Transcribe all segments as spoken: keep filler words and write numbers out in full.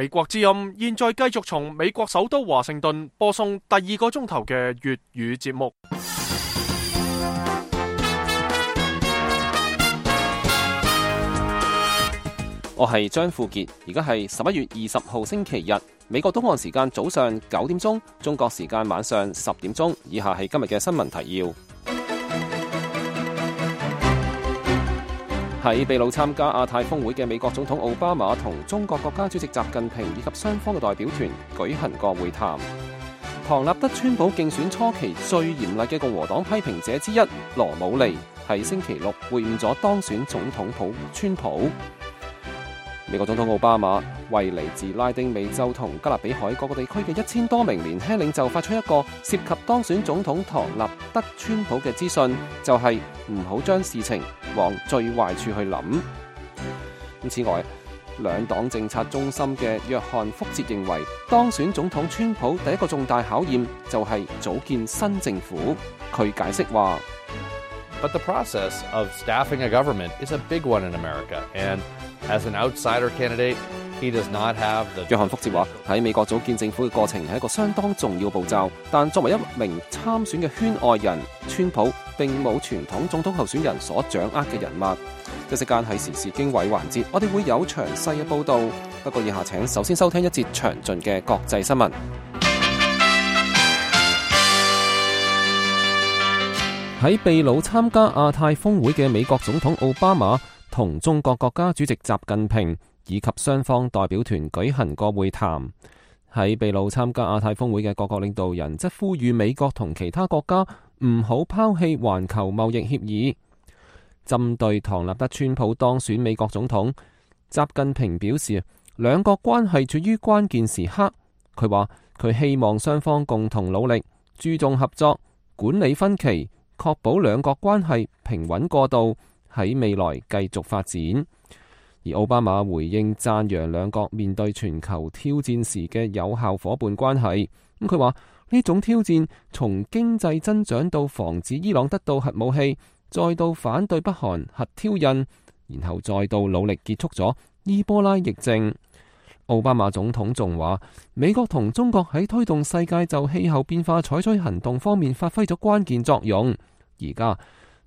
美國之音現在繼續從美國首都華盛頓播送第二個鐘頭嘅粵語節目。我係張富傑，而家係十一月二十號星期日，美國東岸時間早上九點鐘，中國時間晚上十點鐘。以下係今日嘅新聞提要。喺秘魯參加亞太峰會嘅美國總統奧巴馬同中國國家主席習近平以及雙方嘅代表團舉行過會談。唐納德川普競選初期最嚴厲嘅共和黨批評者之一羅姆尼喺星期六會晤咗當選總統普川普。美國總統奧巴馬為嚟自拉丁美洲同加勒比海各個地區嘅一千多名年輕領袖發出一個涉及當選總統唐納德川普嘅資訊，就係唔好將事情往最壞處去諗。此外，兩黨政策中心嘅約翰福哲認為，當選總統川普第一個重大考驗就係組建新政府。佢解釋話But the process of staffing a government is a big one in America, and as an outsider candidate, he does not have the... 約翰福哲話喺美國組建政府嘅過程係一個相當重要步驟，但作為一名參選嘅圈外人，川普並冇傳統總統候選人所掌握嘅人脈。一息間喺時事經緯環節，我哋會有詳細嘅報導。不過以下請首先收聽一節詳盡嘅國際新聞。喺秘魯參加亞太峰會嘅美國總統奧巴馬同中國國家主席習近平以及雙方代表團舉行過會談。喺秘魯參加亞太峰會嘅各國領導人則呼籲美國同其他國家唔好拋棄環球貿易協議。針對唐納德川普當選美國總統，習近平表示兩國關係處於關鍵時刻。佢話佢希望雙方共同努力，注重合作，管理分歧，確保兩國關係平穩過渡，喺未來繼續發展。而奧巴馬回應讚揚兩國面對全球挑戰時嘅有效夥伴關係。咁佢話呢種挑戰從經濟增長到防止伊朗得到核武器，再到反對北韓核挑釁，然後再到努力結束咗伊波拉疫症。奧巴馬總統仲話，美國同中國喺推動世界就氣候變化採取行動方面發揮咗關鍵作用。而家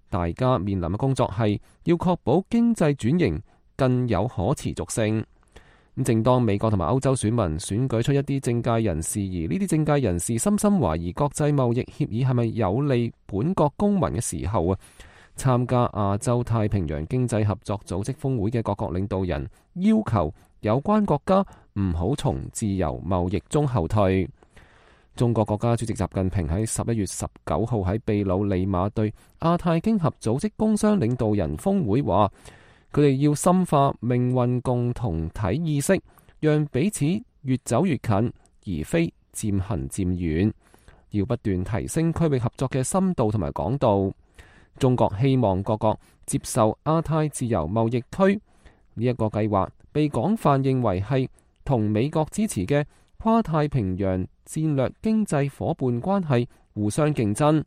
大家面臨嘅工作係要確保經濟轉型更有可持續性。咁正當美國同埋歐洲選民選舉出一啲政界人士，而呢啲政界人士深深懷疑國際貿易協議係咪有利本國公民嘅時候啊，參加亞洲太平洋經濟合作組織峰會嘅各國領導人要求有關國家唔好從自由貿易中後退。中國國家主席習近平喺十一月十九號喺秘魯利馬對亞太經合組織工商領導人峰會話，佢哋要深化命運共同體意識，讓彼此越走越近，而非漸行漸遠。要不斷提升區域合作嘅深度同埋廣度。中國希望各國接受亞太自由貿易區呢一個計劃，被廣泛認為係同美國支持嘅跨太平洋戰略經濟夥伴關係互相競爭。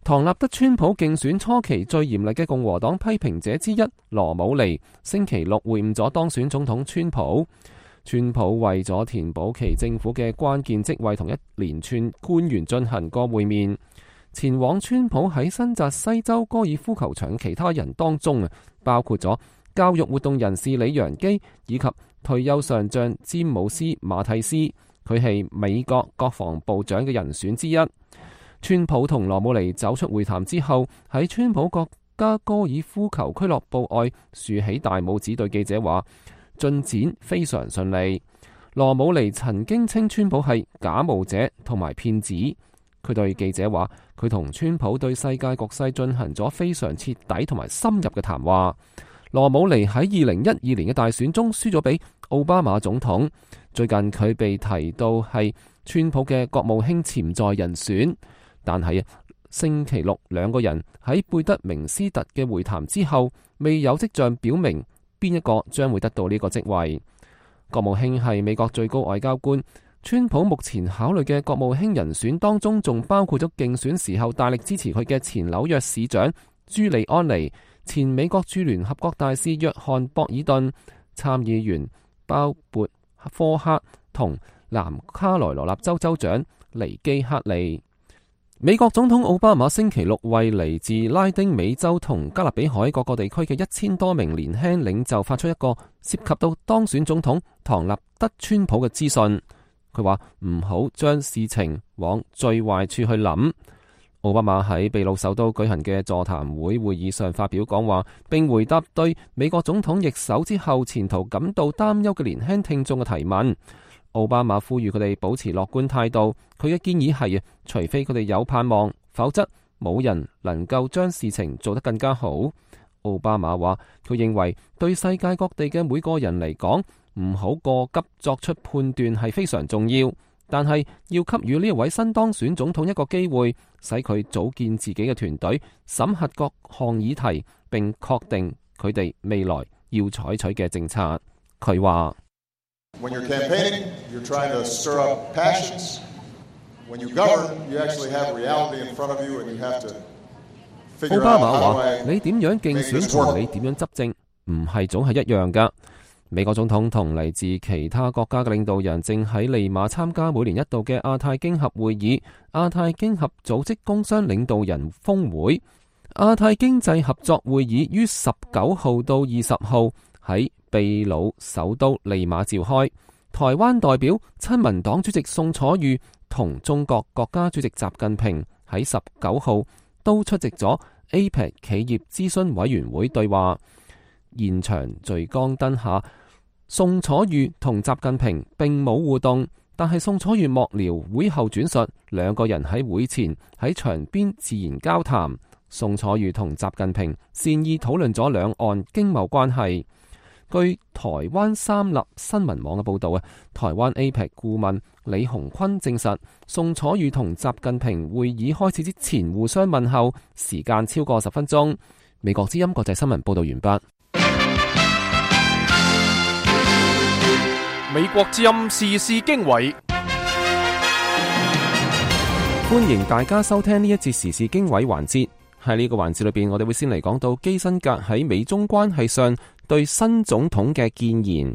唐納德川普競選初期最嚴厲嘅共和黨批評者之一羅姆尼星期六會晤咗當選總統川普。川普為咗填補其政府嘅關鍵職位，同一連串官員進行過會面。前往川普喺新澤西州高爾夫球場其他人當中啊，包括咗教育活動人士李陽基以及退休上將詹姆斯馬蒂斯，佢係美國國防部長嘅人選之一。川普同羅姆尼走出會談之後，喺川普國家高爾夫球俱樂部外豎起大拇指，對記者話進展非常順利。羅姆尼曾經稱川普係假冒者同埋騙子。佢對記者話，佢同川普對世界局勢進行咗非常徹底同埋深入嘅談話。羅姆尼喺二零一二年嘅大選中輸咗俾奧巴馬總統。最近佢被提到係川普嘅國務卿潛在人選，但係星期六兩個人喺貝德明斯特嘅會談之後，未有跡象表明邊一個將會得到呢個職位。國務卿係美國最高外交官。川普目前考慮嘅國務卿人選當中，仲包括咗競選時候大力支持佢嘅前紐約市長朱利安尼、前美國駐聯合國大使約翰博爾頓、參議員鮑勃科克同南卡羅來納州州長尼基克利。美國總統奧巴馬星期六為嚟自拉丁美洲同加勒比海各個地區嘅一千多名年輕領袖發出一個涉及到當選總統唐納德川普嘅資訊。佢話唔好將事情往最壞處去諗。奧巴馬喺秘魯首都舉行嘅座談會會議上發表講話，並回答對美國總統易手之後前途感到擔憂嘅年輕聽眾嘅提問。奧巴馬呼籲佢哋保持樂觀態度。佢嘅建議係，除非佢哋有盼望，否則冇人能夠將事情做得更加好。奧巴馬話，佢認為對世界各地嘅每個人嚟講，唔好過急作出判斷係非常重要，但係要給予呢一位新當選總統一個機會，使佢組建自己嘅團隊，審核各項議題，並確定佢哋未來要採取嘅政策。佢話：When you're campaigning, you're trying to stir up passions. When you govern, you actually have reality in front of you, and you have to figure out how to make this work. 奧巴馬話：你點樣競選同你點樣執政，唔係總係一樣噶。美國總統同嚟自其他國家嘅領導人正喺利馬參加每年一度嘅亞太經合會議——亞太經合組織工商領導人峰會。亞太經濟合作會議於十九號到二十號喺秘魯首都利馬召開。台灣代表親民黨主席宋楚瑜同中國國家主席習近平喺十九號都出席咗 A P E C 企業諮詢委員會對話。現場聚光燈下，宋楚瑜同習近平並冇互動，但係宋楚瑜幕僚會後轉述，兩個人喺會前喺場邊自然交談。宋楚瑜同習近平善意討論咗兩岸經貿關係。據台灣三立新聞網嘅報道啊，台灣 A P E C 顧問李鴻坤證實，宋楚瑜同習近平會議開始之前互相問候，時間超過十分鐘。美國之音國際新聞報道完畢。美國之音時事經緯，歡迎大家收聽呢一節時事經緯環節。喺呢個環節裏邊，我哋會先嚟講到基辛格喺美中關係上對新總統嘅建言。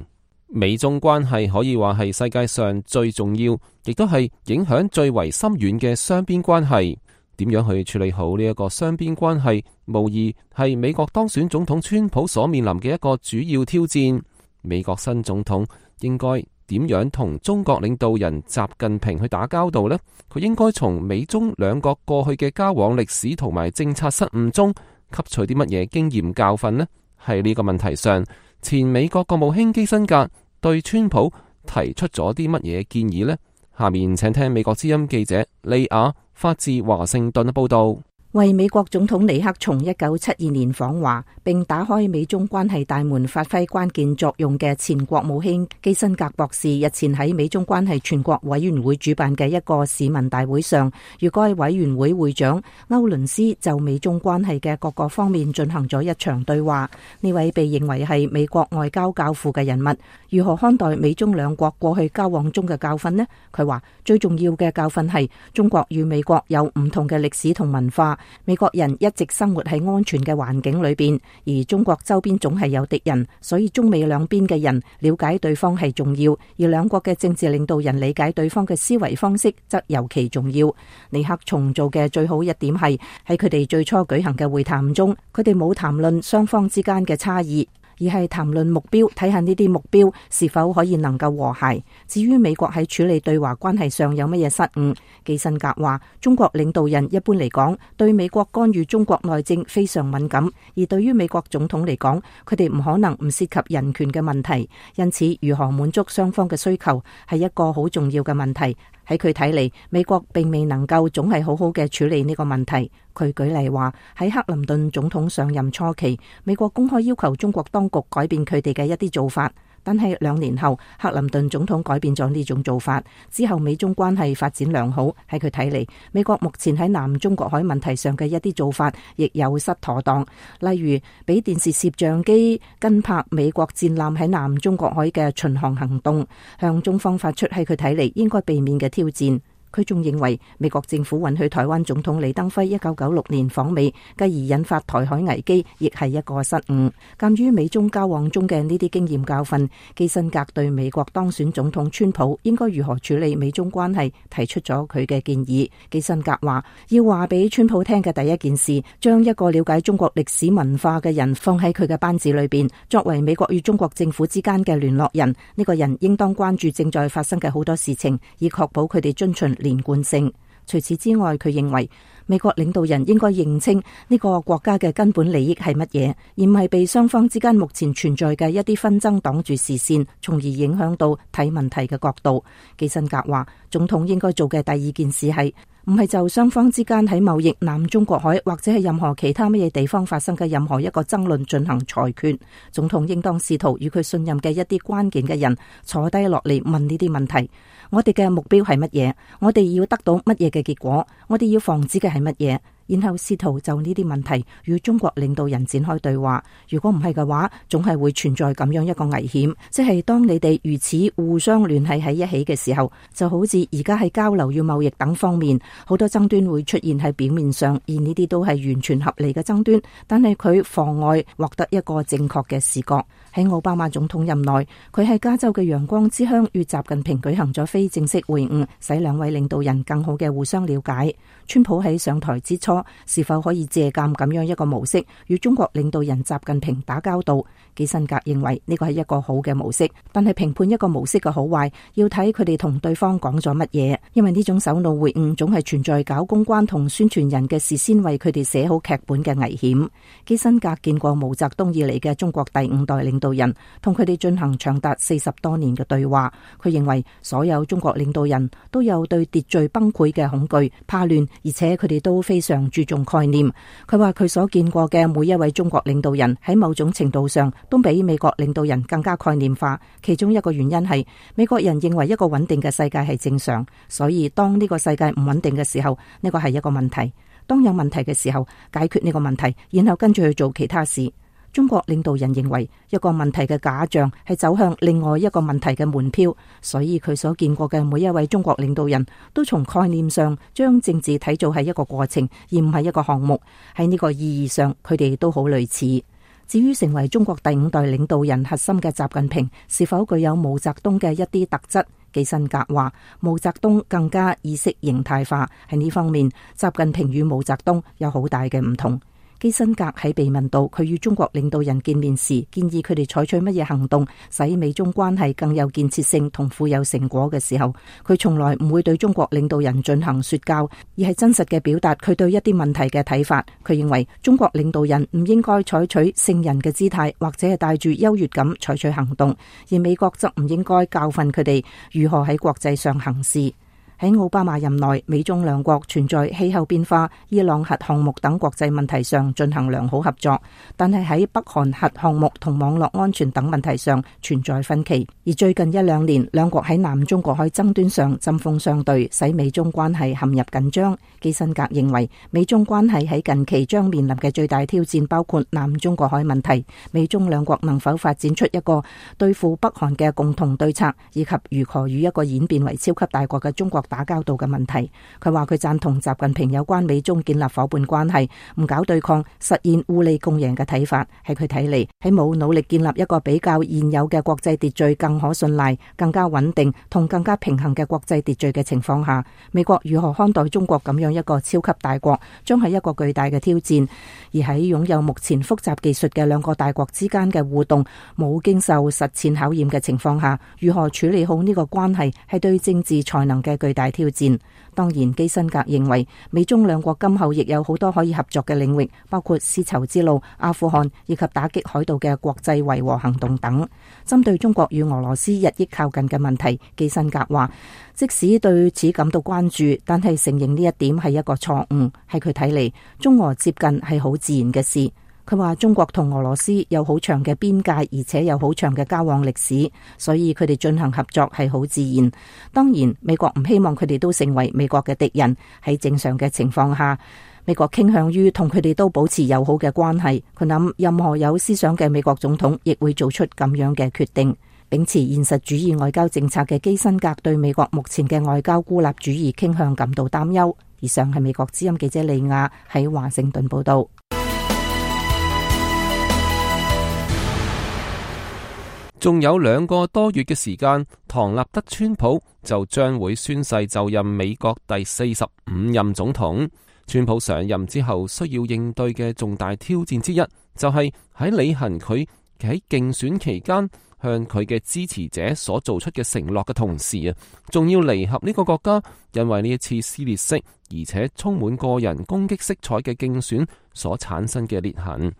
美中關係可以話係世界上最重要，亦都係影響最為深遠嘅雙邊關係。點樣去處理好呢一個雙邊關係，無疑係美國當選總統川普所面臨嘅一個主要挑戰。美國新總統應該點樣同中國領導人習近平去打交道呢？佢應該從美中兩國過去嘅交往歷史同埋政策失誤中吸取啲乜嘢經驗教訓呢？喺呢個問題上，前美國國務卿基辛格對川普提出咗啲乜嘢建議呢？下面請聽美國之音記者利亞發自華盛頓嘅報道。為美國總統尼克松一九七二年訪華並打開美中關係大門發揮關鍵作用嘅前國務卿基辛格博士日前喺美中關係全國委員會主辦嘅一個市民大會上，與該委員會會長歐倫斯就美中關係嘅各個方面進行咗一場對話。呢位被認為係美國外交教父嘅人物，如何看待美中兩國過去交往中嘅教訓呢？佢話最重要嘅教訓係中國與美國有唔同嘅歷史同文化。美國人一直生活喺安全嘅環境裏邊，而中國周邊總係有敵人，所以中美兩邊嘅人了解對方係重要，而兩國嘅政治領導人理解對方嘅思維方式則尤其重要。尼克松做嘅最好一點係喺佢哋最初舉行嘅會談中，佢哋冇談論雙方之間嘅差異，而係談論目標，睇下呢啲目標是否可以能夠和諧。至於美國喺處理對華關係上有乜嘢失誤，基辛格話中國領導人一般嚟講對美國干預中國內政非常敏感，而對於美國總統嚟講，佢哋唔可能唔涉及人權嘅問題，因此如何滿足雙方嘅需求係一個好重要嘅問題。喺佢睇嚟，美國並未能夠總係好好嘅處理呢個問題。佢舉例話，喺克林頓總統上任初期，美國公開要求中國當局改變佢哋嘅一啲做法，但係兩年後，克林頓總統改變咗呢種做法之後，美中關係發展良好。喺佢睇嚟，美國目前喺南中國海問題上嘅一啲做法亦有失妥當，例如俾電視攝像機跟拍美國戰艦喺南中國海嘅巡航行動，向中方發出喺佢睇嚟應該避免嘅挑戰。佢仲認為美國政府允許台灣總統李登輝一九九六年訪美，繼而引發台海危機，亦係一個失誤。鑒於美中交往中嘅呢啲經驗教訓，基辛格對美國當選總統川普應該如何處理美中關係提出咗佢嘅建議。基辛格話要話俾川普聽嘅第一件事，將一個了解中國歷史文化嘅人放喺佢嘅班子裏邊，作為美國與中國政府之間嘅聯絡人。呢個人應當關注正在發生嘅好多事情，以確保佢哋遵循連貫性。除此之外，佢認為美國領導人應該認清呢個國家嘅根本利益係乜嘢，而唔係被雙方之間目前存在嘅一啲紛爭擋住視線，從而影響到睇問題嘅角度。基辛格話，總統應該做嘅第二件事係唔係就雙方之間喺貿易、南中國海或者係任何其他乜嘢地方發生嘅任何一個爭論進行裁決。總統應當試圖與佢信任嘅一啲關鍵嘅人坐低落嚟問呢啲問題。我哋嘅目標係乜嘢？我哋要得到乜嘢嘅結果？我哋要防止嘅係乜嘢？然後試圖就呢啲問題與中國領導人展開對話。如果唔係嘅話，總係會存在咁樣一個危險，即係當你哋如此互相聯繫喺一起嘅時候，就好似而家喺交流與貿易等方面，好多爭端會出現喺表面上，而呢啲都係完全合理嘅爭端，但係佢妨礙獲得一個正確嘅視覺。喺奧巴馬總統任內，佢喺加州嘅陽光之鄉與習近平舉行咗非正式會晤，使兩位領導人更好嘅互相了解。川普喺上台之初，是否可以借鑒咁樣一個模式與中國領導人習近平打交道？基辛格認為呢個係一個好嘅模式，但係評判一個模式嘅好壞，要睇佢哋同對方講咗乜嘢，因為呢種首腦會晤總係存在搞公關同宣傳人嘅事先為佢哋寫好劇本嘅危險。基辛格見過毛澤東以嚟嘅中國第五代領導人，同佢哋進行長達四十多年嘅對話。佢認為所有中國領導人都有對秩序崩潰嘅恐懼、怕亂，而且佢哋都非常注重概念。佢話佢所見過嘅每一位中國領導人喺某種程度上都比美國領導人更加概念化。其中一個原因係美國人認為一個穩定嘅世界係正常，所以當呢個世界唔穩定嘅時候，呢個係一個問題。當有問題嘅時候，解決呢個問題，然後跟住去做其他事。中國領導人認為一個問題嘅假象係走向另外一個問題嘅門票，所以佢所見過嘅每一位中國領導人都從概念上將政治睇做係一個過程，而唔係一個項目。喺呢個意義上，佢哋都好類似。至於成為中國第五代領導人核心嘅習近平是否具有毛澤東嘅一啲特質，基辛格話毛澤東更加意識形態化。喺呢方面，習近平與毛澤東有好大嘅唔同。基辛格喺被問到佢與中國領導人見面時，建議佢哋採取乜嘢行動，使美中關係更有建設性同富有成果嘅時候，佢從來唔會對中國領導人進行說教，而係真實嘅表達佢對一啲問題嘅睇法。佢認為中國領導人唔應該採取聖人嘅姿態，或者係帶住優越感採取行動，而美國則唔應該教訓佢哋如何喺國際上行事。喺奧巴馬任內，美中兩國存在氣候變化、伊朗核項目等國際問題上進行良好合作，但係喺北韓核項目同網絡安全等問題上存在分歧。而最近一兩年，兩國喺南中國海爭端上針鋒相對，使美中關係陷入緊張。基辛格認為，美中關係喺近期將面臨嘅最大挑戰包括南中國海問題，美中兩國能否發展出一個對付北韓嘅共同對策，以及如何與一個演變為超級大國嘅中國打交道嘅問題。佢話佢贊同習近平有關美中建立伙伴關係、唔搞對抗、實現互利共贏嘅睇法。喺佢睇嚟，喺冇努力建立一個比較現有嘅國際秩序更可信賴、更加穩定同更加平衡嘅國際秩序嘅情況下，美國如何看待中國咁樣一個超級大國，將係一個巨大嘅挑戰。而喺擁有目前複雜技術嘅兩個大國之間嘅互動冇經受實踐考驗嘅情況下，如何處理好呢個關係，係對政治才能嘅巨大挑戰。當然，基辛格認為美中兩國今後亦有好多可以合作嘅領域，包括絲綢之路、阿富汗以及打擊海盜嘅國際維和行動等。針對中國與俄羅斯日益靠近嘅問題，基辛格話，即使對此感到關注，但係承認呢一點係一個錯誤。喺佢睇嚟，中俄接近係好自然嘅事。佢話中國同俄羅斯有好長嘅邊界，而且有好長嘅交往歷史，所以佢哋進行合作係好自然。當然，美國唔希望佢哋都成為美國嘅敵人。喺正常嘅情況下，美國傾向於同佢哋都保持友好嘅關係。佢諗任何有思想嘅美國總統亦會做出咁樣嘅決定。秉持現實主義外交政策嘅基辛格對美國目前嘅外交孤立主義傾向感到擔憂。以上係美國之音記者利亞喺華盛頓報道。仲有兩個多月嘅時間，唐納德川普就將會宣誓就任美國第四十五任總統。川普上任之後需要應對嘅重大挑戰之一，就係喺履行佢喺競選期間向佢嘅支持者所做出嘅承諾嘅同時啊，仲要彌合呢個國家因為呢一次撕裂式而且充滿個人攻擊色彩嘅競選所產生嘅裂痕。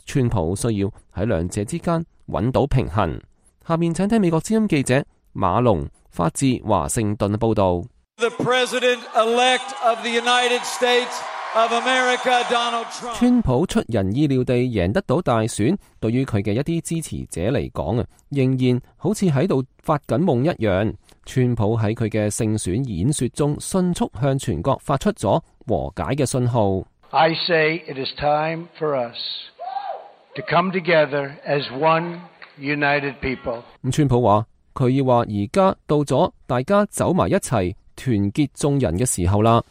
川普需要喺兩者之間揾到平衡。下面請聽美國之音記者馬龍發自華盛頓嘅報道。The President-elect of the United States of America, Donald Trump. 川普出人意料地贏得到大選，對於佢嘅一啲支持者嚟講啊，仍然好似喺度發緊夢一樣。川普喺佢嘅勝選演說中，迅速向全國發出咗和解嘅信號。I say it is time for us to come together as one United people. 咁川普話佢要話而家到咗大家走埋一齊團結眾人嘅時候啦。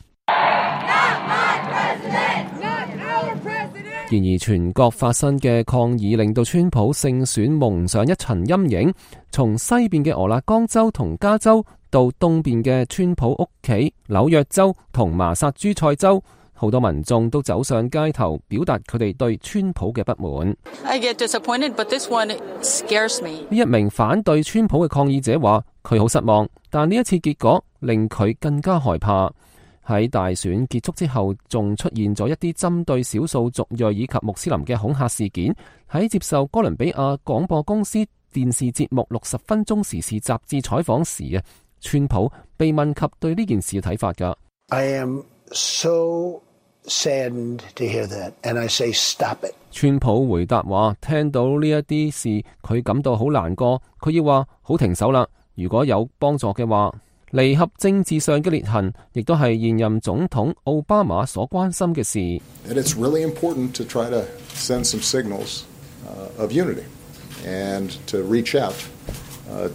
然而全國發生嘅抗議令到川普勝選蒙上一層陰影，從西邊嘅俄勒岡州同加州到東邊嘅川普屋企紐約州同麻薩諸塞州，好多民眾都走上街頭表達佢哋對川普嘅不滿。I get disappointed, but this one scares me. 呢一名反對川普嘅抗議者話佢好失望，但呢一次結果令佢更加害怕。喺大選結束之後，仲出現咗一啲針對少數族裔以及穆斯林嘅恐嚇事件。喺接受哥倫比亞廣播公司電視節目六十分鐘時事雜誌採訪時啊，川普被問及對呢件事嘅睇法㗎。I am so saddened to hear that, and I say stop it. 川普回答話：聽到呢一啲事，佢感到好難過，佢要話好停手啦。如果有幫助嘅話。離合政治上嘅裂痕，亦都係現任總統奧巴馬所關心嘅事。And it's really important to try to send some signals of unity and to reach out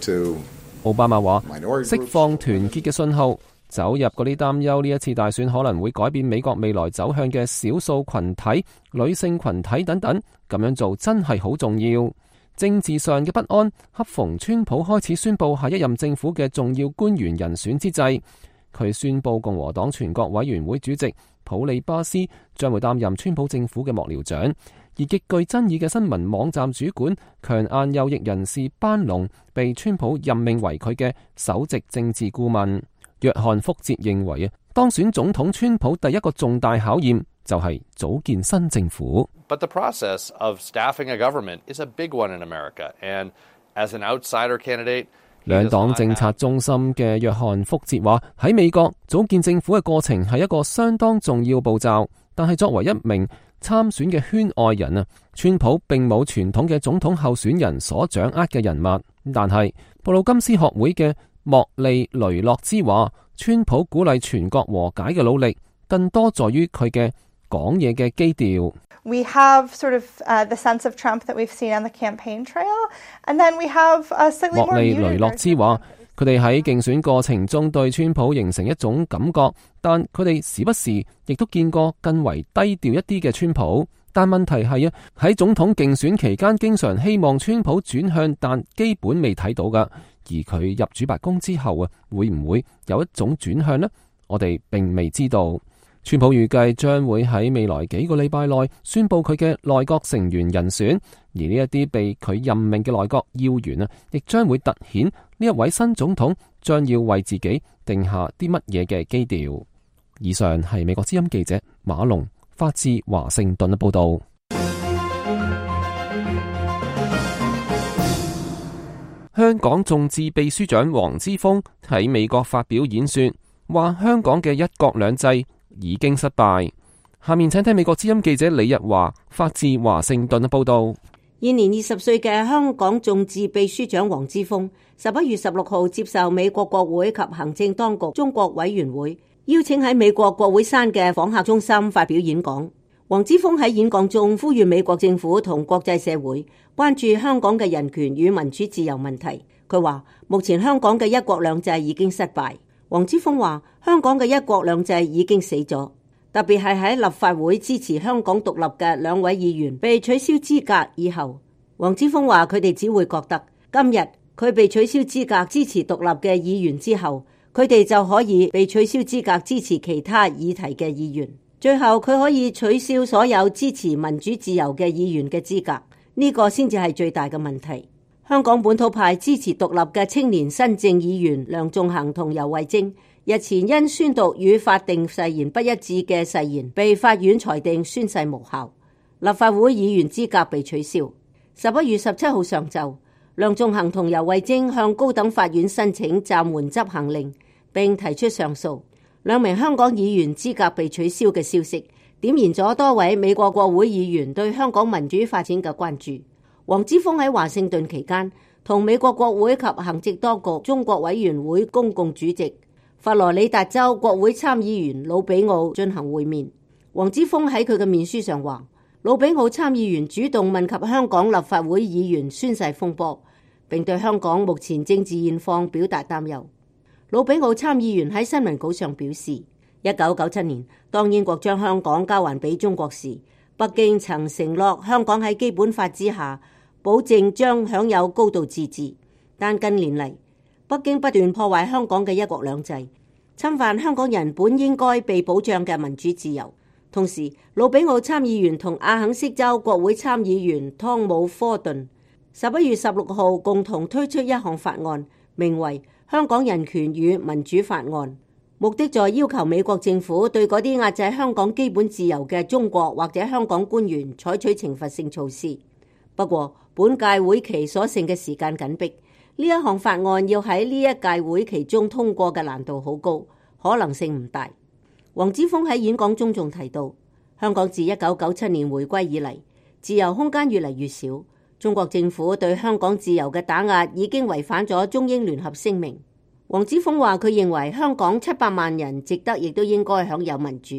to。奧巴馬話：釋放團結嘅信號，走入嗰啲擔憂呢一次大選可能會改變美國未來走向嘅少數群體、女性群體等等，咁樣做真係好重要。政治上嘅不安，恰逢川普開始宣布下一任政府嘅重要官員人選之際，佢宣布共和黨全國委員會主席普利巴斯將會擔任川普政府嘅幕僚長，而極具爭議嘅新聞網站主管強硬右翼人士班農被川普任命為佢嘅首席政治顧問。約翰福捷認為啊，當選總統川普第一個重大考驗就係組建新政府。But the process of staffing a government is a big one in America, and as an outsider candidate, 兩黨政策中心嘅約翰福捷話：喺美國組建政府嘅過程係一個相當重要步驟，但係作為一名參選嘅圈外人啊，川普並冇傳統嘅總統候選人所掌握嘅人物。但係布魯金斯學會嘅莫利雷諾茲話：川普鼓勵全國和解嘅努力，更多在於佢嘅講嘢嘅基調。We have sort of uh, the sense of Trump that we've seen on the campaign trail, and then we have a slightly more muted version. 莫利雷諾茲話：佢哋喺競選過程中對川普形成一種感覺，但佢哋時不時亦都見過更為低調一啲嘅川普。但問題係啊，喺總統競選期間，經常希望川普轉向，但基本未睇到噶。而佢入主白宮之後啊，會唔會有一種轉向呢？我哋並未知道。川普預計將會喺未來幾個禮拜內宣布佢嘅內閣成員人選，而呢一啲被佢任命嘅內閣要員啊，亦將會凸顯呢一位新總統將要為自己定下啲乜嘢嘅基調。以上係美國之音記者馬龍發自華盛頓嘅報道。香港眾志秘書長黃之鋒喺美國發表演說，話香港嘅一國兩制已經失敗。下面請聽美國之音記者李日華發自華盛頓嘅報道。現年二十歲嘅香港眾志秘書長黃之鋒，十一月十六號接受美國國會及行政當局中國委員會邀請喺美國國會山嘅訪客中心發表演講。黃之鋒喺演講中呼籲美國政府同國際社會關注香港嘅人權與民主自由問題。佢話目前香港嘅一國兩制已經失敗。黃之鋒話香港嘅一國兩制已經死咗，特別係喺立法會支持香港獨立嘅兩位議員被取消資格以後，黃之鋒話佢哋只會覺得今日佢被取消資格支持獨立嘅議員之後，佢哋就可以被取消資格支持其他議題嘅議員，最後佢可以取消所有支持民主自由嘅議員嘅資格，呢個先至係最大嘅問題。香港本土派支持獨立嘅青年新政議員梁頌恆同游蕙禎日前因宣讀與法定誓言不一致嘅誓言，被法院裁定宣誓無效，立法會議員資格被取消。十一月十七號上晝，梁頌恆同游蕙禎向高等法院申請暫緩執行令，並提出上訴。兩名香港議員資格被取消嘅消息，點燃咗多位美國國會議員對香港民主發展嘅關注。黃之鋒喺華盛頓期間，同美國國會及行政當局中國委員會公共主席佛羅里達州國會參議員魯比奧進行會面。黃之鋒喺佢嘅面書上話，魯比奧參議員主動問及香港立法會議員宣誓風波，並對香港目前政治現況表達擔憂。魯比奧參議員喺新聞稿上表示，一九九七年當英國將香港交還俾中國時，北京曾承諾香港喺基本法之下保證將享有高度自治，但近年嚟北京不斷破壞香港嘅一國兩制，侵犯香港人本應該被保障嘅民主自由。同時，魯比奧參議員同阿肯色州國會參議員湯姆科頓十一月十六號共同推出一項法案，名為《香港人權與民主法案》，目的在要求美國政府對嗰啲壓制香港基本自由嘅中國或者香港官員採取懲罰性措施。不過，本屆會期所剩嘅時間緊迫，呢一項法案要喺呢一屆會期中通過嘅難度好高，可能性唔大。黃之鋒喺演講中仲提到，香港自一九九七年回歸以嚟，自由空間越嚟越少，中國政府對香港自由嘅打壓已經違反咗中英聯合聲明。黃之鋒話佢認為香港七百萬人值得亦都應該享有民主。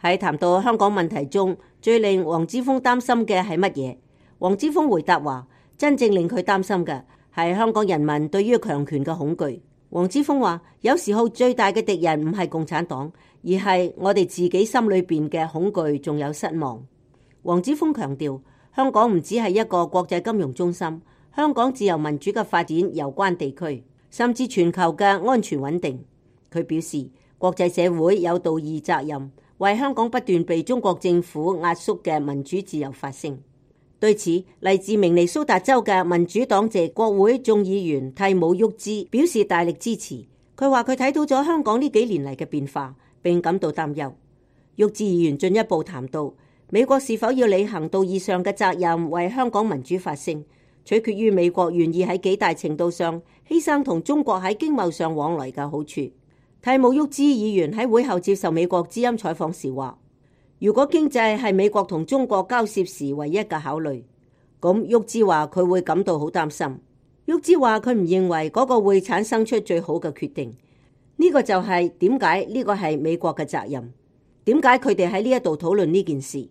喺談到香港問題中，最令黃之鋒擔心嘅係乜嘢？黃之鋒回答話，真正令佢擔心嘅係香港人民對於強權嘅恐懼。黃之鋒話，有時候最大嘅敵人唔係共產黨，而係我哋自己心裏邊嘅恐懼仲有失望。黃之鋒強調，香港唔只係一個國際金融中心，香港自由民主嘅發展攸關地區，甚至全球嘅安全穩定。佢表示，國際社會有道義責任，為香港不斷被中國政府壓縮嘅民主自由發聲。對此，嚟自明尼蘇達州嘅民主黨籍國會眾議員蒂姆沃茲表示大力支持。佢話佢睇到咗香港呢幾年嚟嘅變化，並感到擔憂。沃茲議員進一步談到，美國是否要履行道義上嘅責任，為香港民主發聲，取決於美國願意喺幾大程度上犧牲同中國喺經貿上往來嘅好處。蒂姆沃茲議員喺會後接受美國之音採訪時話，如果經濟係美國同中國交涉時唯一嘅考慮，咁沃茲話佢會感到好擔心。沃茲話佢唔認為嗰個會產生出最好嘅決定。呢個就係點解呢個係美國嘅責任？點解佢哋喺呢一度討論呢件事？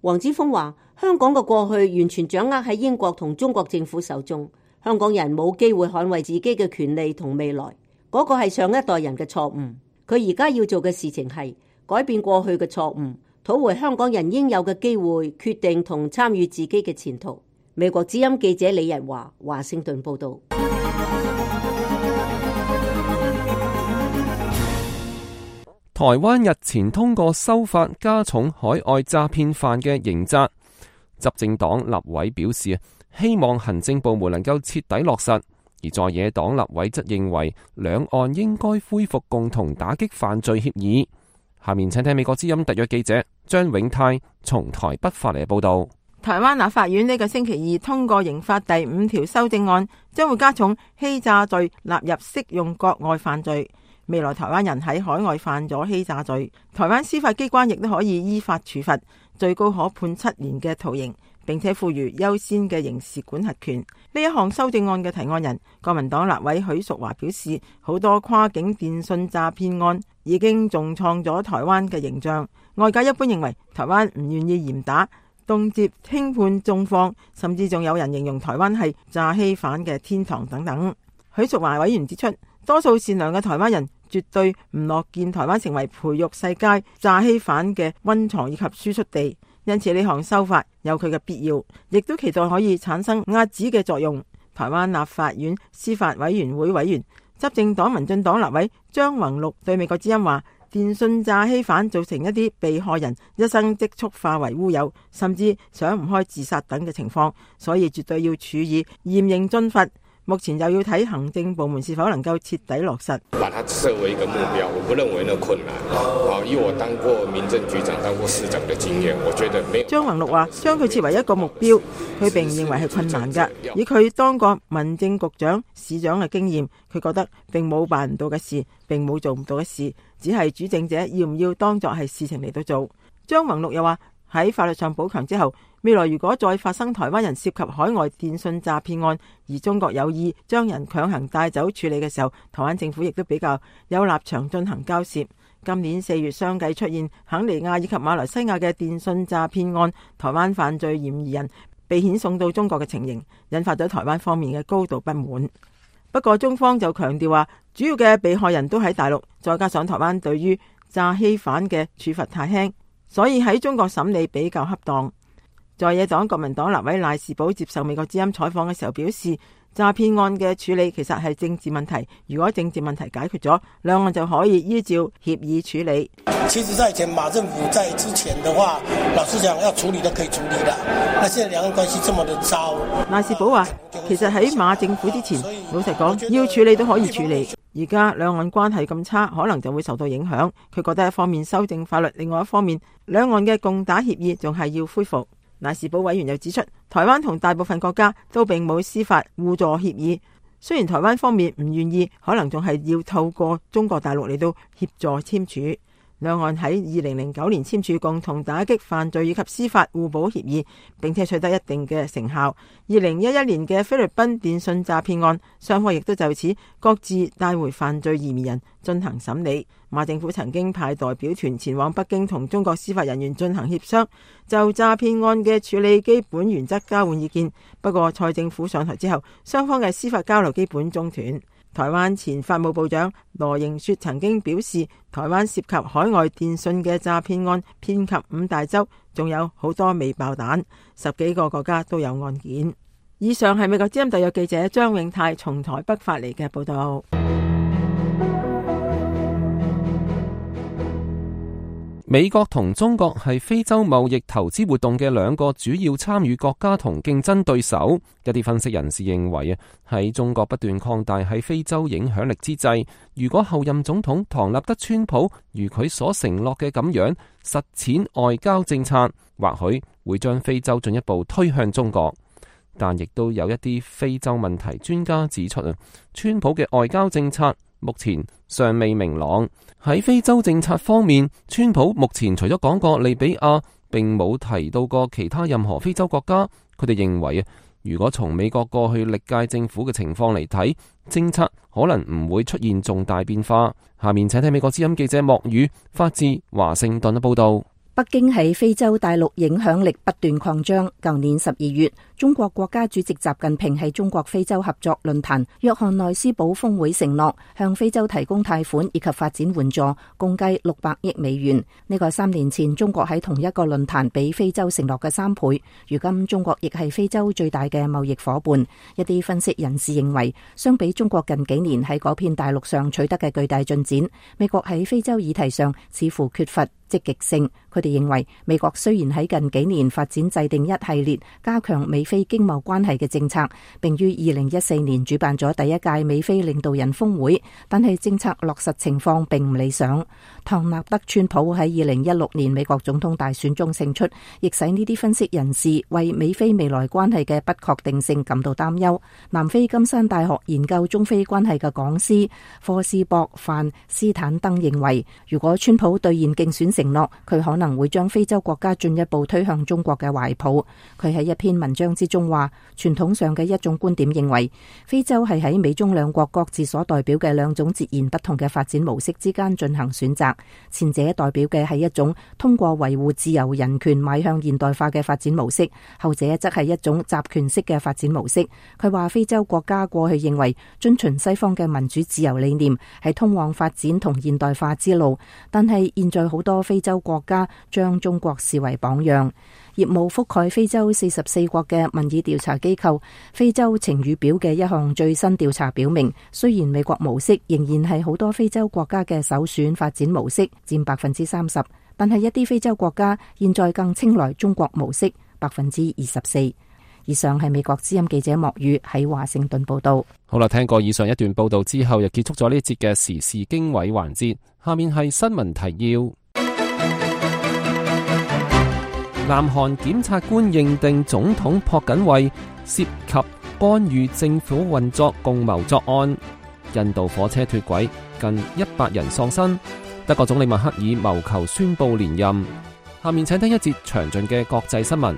黃之鋒話，香港嘅過去完全掌握喺英國同中國政府手中，香港人冇機會捍衛自己嘅權利同未來，嗰個係上一代人嘅錯誤。佢而家要做嘅事情係改變過去嘅錯誤，討回香港人應有嘅機會，決定同參與自己嘅前途。美國之音記者李日華，華盛頓報道。台灣日前通過修法，加重海外詐騙犯嘅刑責。執政黨立委表示，希望行政部門能夠徹底落實。而在野黨立委則認為，兩岸應該恢復共同打擊犯罪協議。下面請聽美國之音特約記者張永泰從台北發嚟報道。台灣立法院呢個星期二通過刑法第五條修正案，將會加重欺詐罪納入適用國外犯罪。未來台灣人喺海外犯咗欺詐罪，台灣司法機關亦都可以依法處罰，最高可判七年嘅徒刑，並且賦予優先嘅刑事管轄權。呢一項修正案嘅提案人國民黨立委許淑華表示，好多跨境電信詐騙案已經重創咗台灣嘅形象。外界一般認為台灣唔願意嚴打，動輒輕判重放，甚至仲有人形容台灣係詐欺犯嘅天堂等等。許淑華委員指出，多數善良嘅台灣人絕對唔樂見台灣成為培育世界詐欺犯嘅溫床以及輸出地，因此呢項修法有佢嘅必要，亦都期待可以產生壓止嘅作用。台灣立法院司法委員會委員、執政黨民進黨立委張宏陸對美國之音話，電信詐欺犯造成一啲被害人一生積蓄化為烏有，甚至想唔開自殺等嘅情況，所以絕對要處以嚴刑峻罰。目前又要睇行政部門是否能夠徹底落實。把它設為一個目標，我不認為那困難。啊，以我當過民政局長、當過市長的經驗，我覺得沒有。張宏陸話：將佢設為一個目標，佢並唔認為係困難㗎。以佢當過民政局長、市長嘅經驗，佢覺得並冇辦唔到嘅事，並冇做唔到嘅事，只係主政者要唔要當作係事情嚟到做。張宏陸又話：喺法律上補強之後，未來如果再發生台灣人涉及海外電信詐騙案，而中國有意將人強行帶走處理嘅時候，台灣政府亦都比較有立場進行交涉。今年四月相繼出現肯尼亞以及馬來西亞嘅電信詐騙案，台灣犯罪嫌疑人被遣送到中國嘅情形，引發咗台灣方面嘅高度不滿。不過中方就強調話，主要嘅被害人都喺大陸，再加上台灣對於詐欺犯嘅處罰太輕，所以喺中國審理比較恰當。在野黨國民黨立委賴士葆接受美國之音採訪嘅時候表示，詐騙案嘅處理其實係政治問題，如果政治問題解決咗，兩岸就可以依照協議處理。其實在前馬政府在之前的話，老實講要處理都可以處理的，那現在兩岸關係這麼的糟。賴士葆話，其實喺馬政府之前，老實講要處理都可以處理，而家兩岸關係咁差，可能就會受到影響。佢覺得一方面修正法律，另外一方面兩岸嘅共打協議仲係要恢復。賴士葆委員又指出，台灣同大部分國家都並冇司法互助協議，雖然台灣方面唔願意，可能仲係要透過中國大陸嚟到協助簽署。兩岸喺二零零九年簽署共同打擊犯罪以及司法互保協議，並且取得一定嘅成效。二零一一年嘅菲律賓電信詐騙案，雙方亦都就此各自帶回犯罪嫌疑人進行審理。馬政府曾經派代表團前往北京同中國司法人員進行協商，就詐騙案嘅處理基本原則交換意見。不過蔡政府上台之後，雙方嘅司法交流基本中斷。台灣前法務部長羅盈雪曾經表示，台灣涉及海外電信嘅詐騙案遍及五大洲，仲有好多未爆彈，十幾個國家都有案件。以上係美國之音特約記者張永泰從台北發嚟嘅報道。美國同中國係非洲貿易投資活動嘅兩個主要參與國家同競爭對手。一啲分析人士認為啊，喺中國不斷擴大喺非洲影響力之際，如果後任總統唐納德川普如佢所承諾嘅咁樣實踐外交政策，或許會將非洲進一步推向中國。但亦都有一啲非洲問題專家指出啊，川普嘅外交政策目前尚未明朗。喺非洲政策方面，川普目前除咗講過利比亞，並冇提到過其他任何非洲國家。佢哋認為啊，如果從美國過去歷屆政府嘅情況嚟睇，政策可能唔會出現重大變化。下面請聽美國之音記者莫宇發自華盛頓嘅報道。北京喺非洲大陸影響力不斷擴張。舊年十二月，中國國家主席習近平喺中國非洲合作論壇約翰內斯堡峰會承諾向非洲提供貸款以及發展援助，共計六百億美元。呢個三年前中國喺同一個論壇俾非洲承諾嘅三倍。如今中國亦係非洲最大嘅貿易夥伴。一啲分析人士認為，相比中國近幾年喺嗰片大陸上取得嘅巨大進展，美國喺非洲議題上似乎缺乏積極性。佢哋認為，美國雖然喺近幾年發展制定一系列加強美非經貿關係嘅政策，並於二零一四年主辦咗第一屆美非領導人峰會，但係政策落實情況並唔理想。唐納德川普喺二零一六年美國總統大選中勝出，亦使呢啲分析人士為美非未來關係嘅不確定性感到擔憂。南非金山大學研究中非關係嘅講師科斯博范斯坦登認為，如果川普兌現競選承諾佢可能會將非洲國家進一步推向中國嘅懷抱。佢喺一篇文章之中話，傳統上嘅一種觀點認為，非洲係喺美中兩國各自所代表嘅兩種截然不同嘅發展模式之間進行選擇。前者代表嘅係一種通過維護自由人權邁向現代化嘅發展模式，後者則係一種集權式嘅發展模式。佢話非洲國家過去認為遵循西方嘅民主自由理念係通往發展同現代化之路，但係現在好多非洲國家將中國視為榜樣。業務覆蓋非洲四十四國嘅民意調查機構非洲晴雨表嘅一項最新調查表明，雖然美國模式仍然係好多非洲國家嘅首選發展模式，佔百分之三十，但係一啲非洲國家現在更青睞中國模式，百分之二十四。以上係美國之音記者莫宇喺華盛頓報道。好啦，聽過以上一段報道之後，又結束咗呢一節嘅時事經緯環節。下面係新聞提要。南韓檢察官認定總統朴槿惠涉及干預政府運作共謀作案。印度火車脫軌，近一百人喪生。德國總理默克爾謀求宣布連任。下面請聽一節詳盡嘅國際新聞。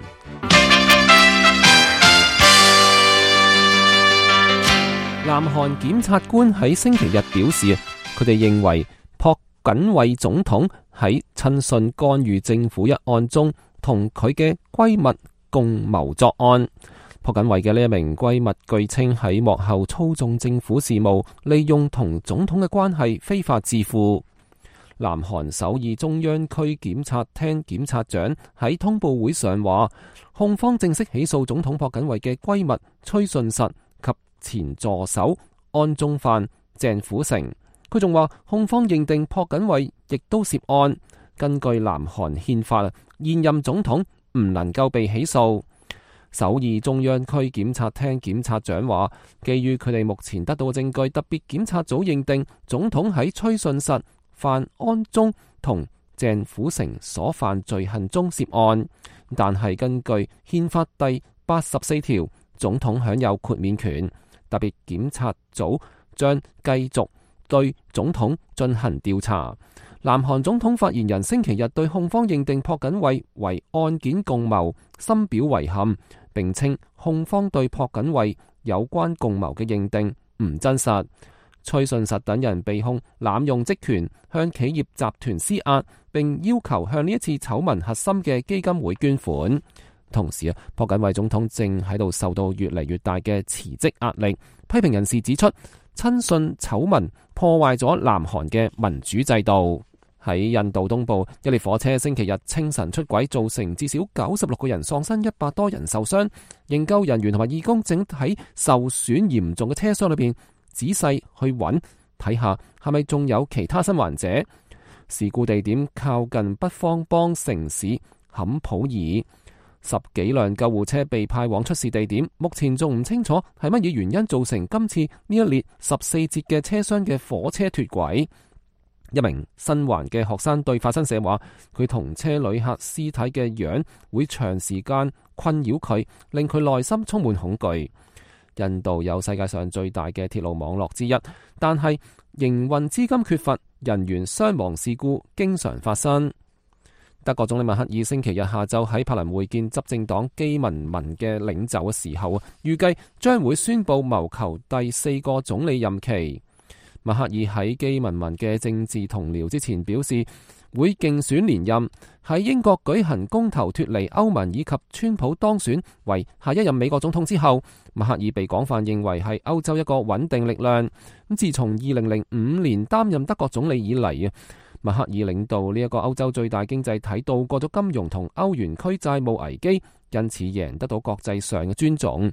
南韓檢察官喺星期日表示，佢哋認為朴槿惠總統喺親信干預政府一案中同佢嘅閨蜜共謀作案。朴槿惠嘅呢一名閨蜜據稱喺幕後操縱政府事務，利用同總統嘅關係非法致富。南韓首爾中央區檢察廳檢察長喺通報會上話，控方正式起訴總統朴槿惠嘅閨蜜崔順實及前助手安宗範、鄭虎成。佢仲話控方認定朴槿惠亦都涉案。根據南韓憲法，現任總統唔能夠被起訴。首爾中央區檢察廳檢察長話，基於佢哋目前得到嘅證據，特別檢察組認定總統喺崔順實、范安宗同鄭虎成所犯罪行中涉案。但係根據憲法第八十四條，總統享有豁免權。特別檢察組將繼續對總統進行調查。南韓總統發言人星期日對控方認定朴槿惠為案件共謀深表遺憾，並稱控方對朴槿惠有關共謀嘅認定唔真實。崔順實等人被控濫用職權向企業集團施壓，並要求向呢一次醜聞核心嘅基金會捐款。同時啊，朴槿惠總統正喺度受到越嚟越大嘅辭職壓力。批評人士指出，親信醜聞破壞咗南韓嘅民主制度。喺印度東部，一列火車星期日清晨出軌，造成至少九十六個人喪生，一百多人受傷。營救人員同埋義工正喺受損嚴重嘅車廂裏邊仔細去揾，睇下係咪仲有其他生還者。事故地點靠近北方邦城市坎普爾。十幾輛救護車被派往出事地點，目前仲唔清楚係乜嘢原因造成今次呢一列十四節嘅車廂嘅火車脫軌。一名生還嘅學生對法新社話，佢同車旅客屍體嘅樣會長時間困擾佢，令佢內心充滿恐懼。印度有世界上最大嘅鐵路網絡之一，但係營運資金缺乏，人員傷亡事故經常發生。德國總理默克爾星期日下晝喺柏林會見執政黨基民盟嘅領袖嘅時候，預計將會宣布謀求第四個總理任期。默克爾喺基民盟嘅政治同僚之前表示，會競選連任。喺英國舉行公投脫離歐盟以及川普當選為下一任美國總統之後，默克爾被廣泛認為係歐洲一個穩定力量。咁自從二零零五年擔任德國總理以嚟啊，默克爾領導呢一個歐洲最大經濟體渡過咗金融同歐元區債務危機，因此贏得到國際上嘅尊重。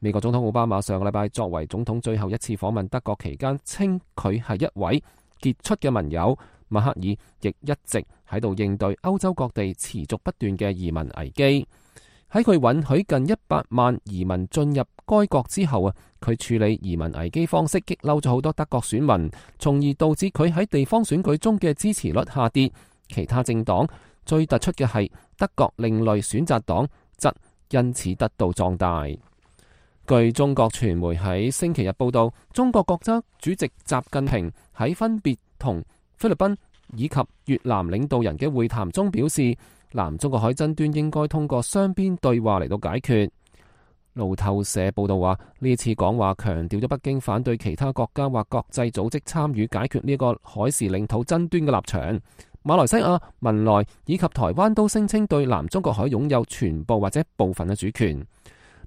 美國總統奧巴馬上個禮拜作為總統最後一次訪問德國期間，稱佢係一位傑出嘅盟友。默克爾亦一直喺度應對歐洲各地持續不斷嘅移民危機。喺佢允許近一百萬移民進入該國之後啊，佢處理移民危機方式激嬲咗好多德國選民，從而導致佢喺地方選舉中嘅支持率下跌。其他政黨最突出嘅係德國另類選擇黨，則因此得到壯大。據中國傳媒喺星期日報道，中國國家主席習近平喺分別同菲律賓、以及越南領導人嘅會談中表示，南中國海爭端應該通過雙邊對話嚟到解決。路透社報道話，呢次講話強調咗北京反對其他國家或國際組織參與解決呢個海事領土爭端嘅立場。馬來西亞、文萊以及台灣都聲稱對南中國海擁有全部或者部分嘅主權。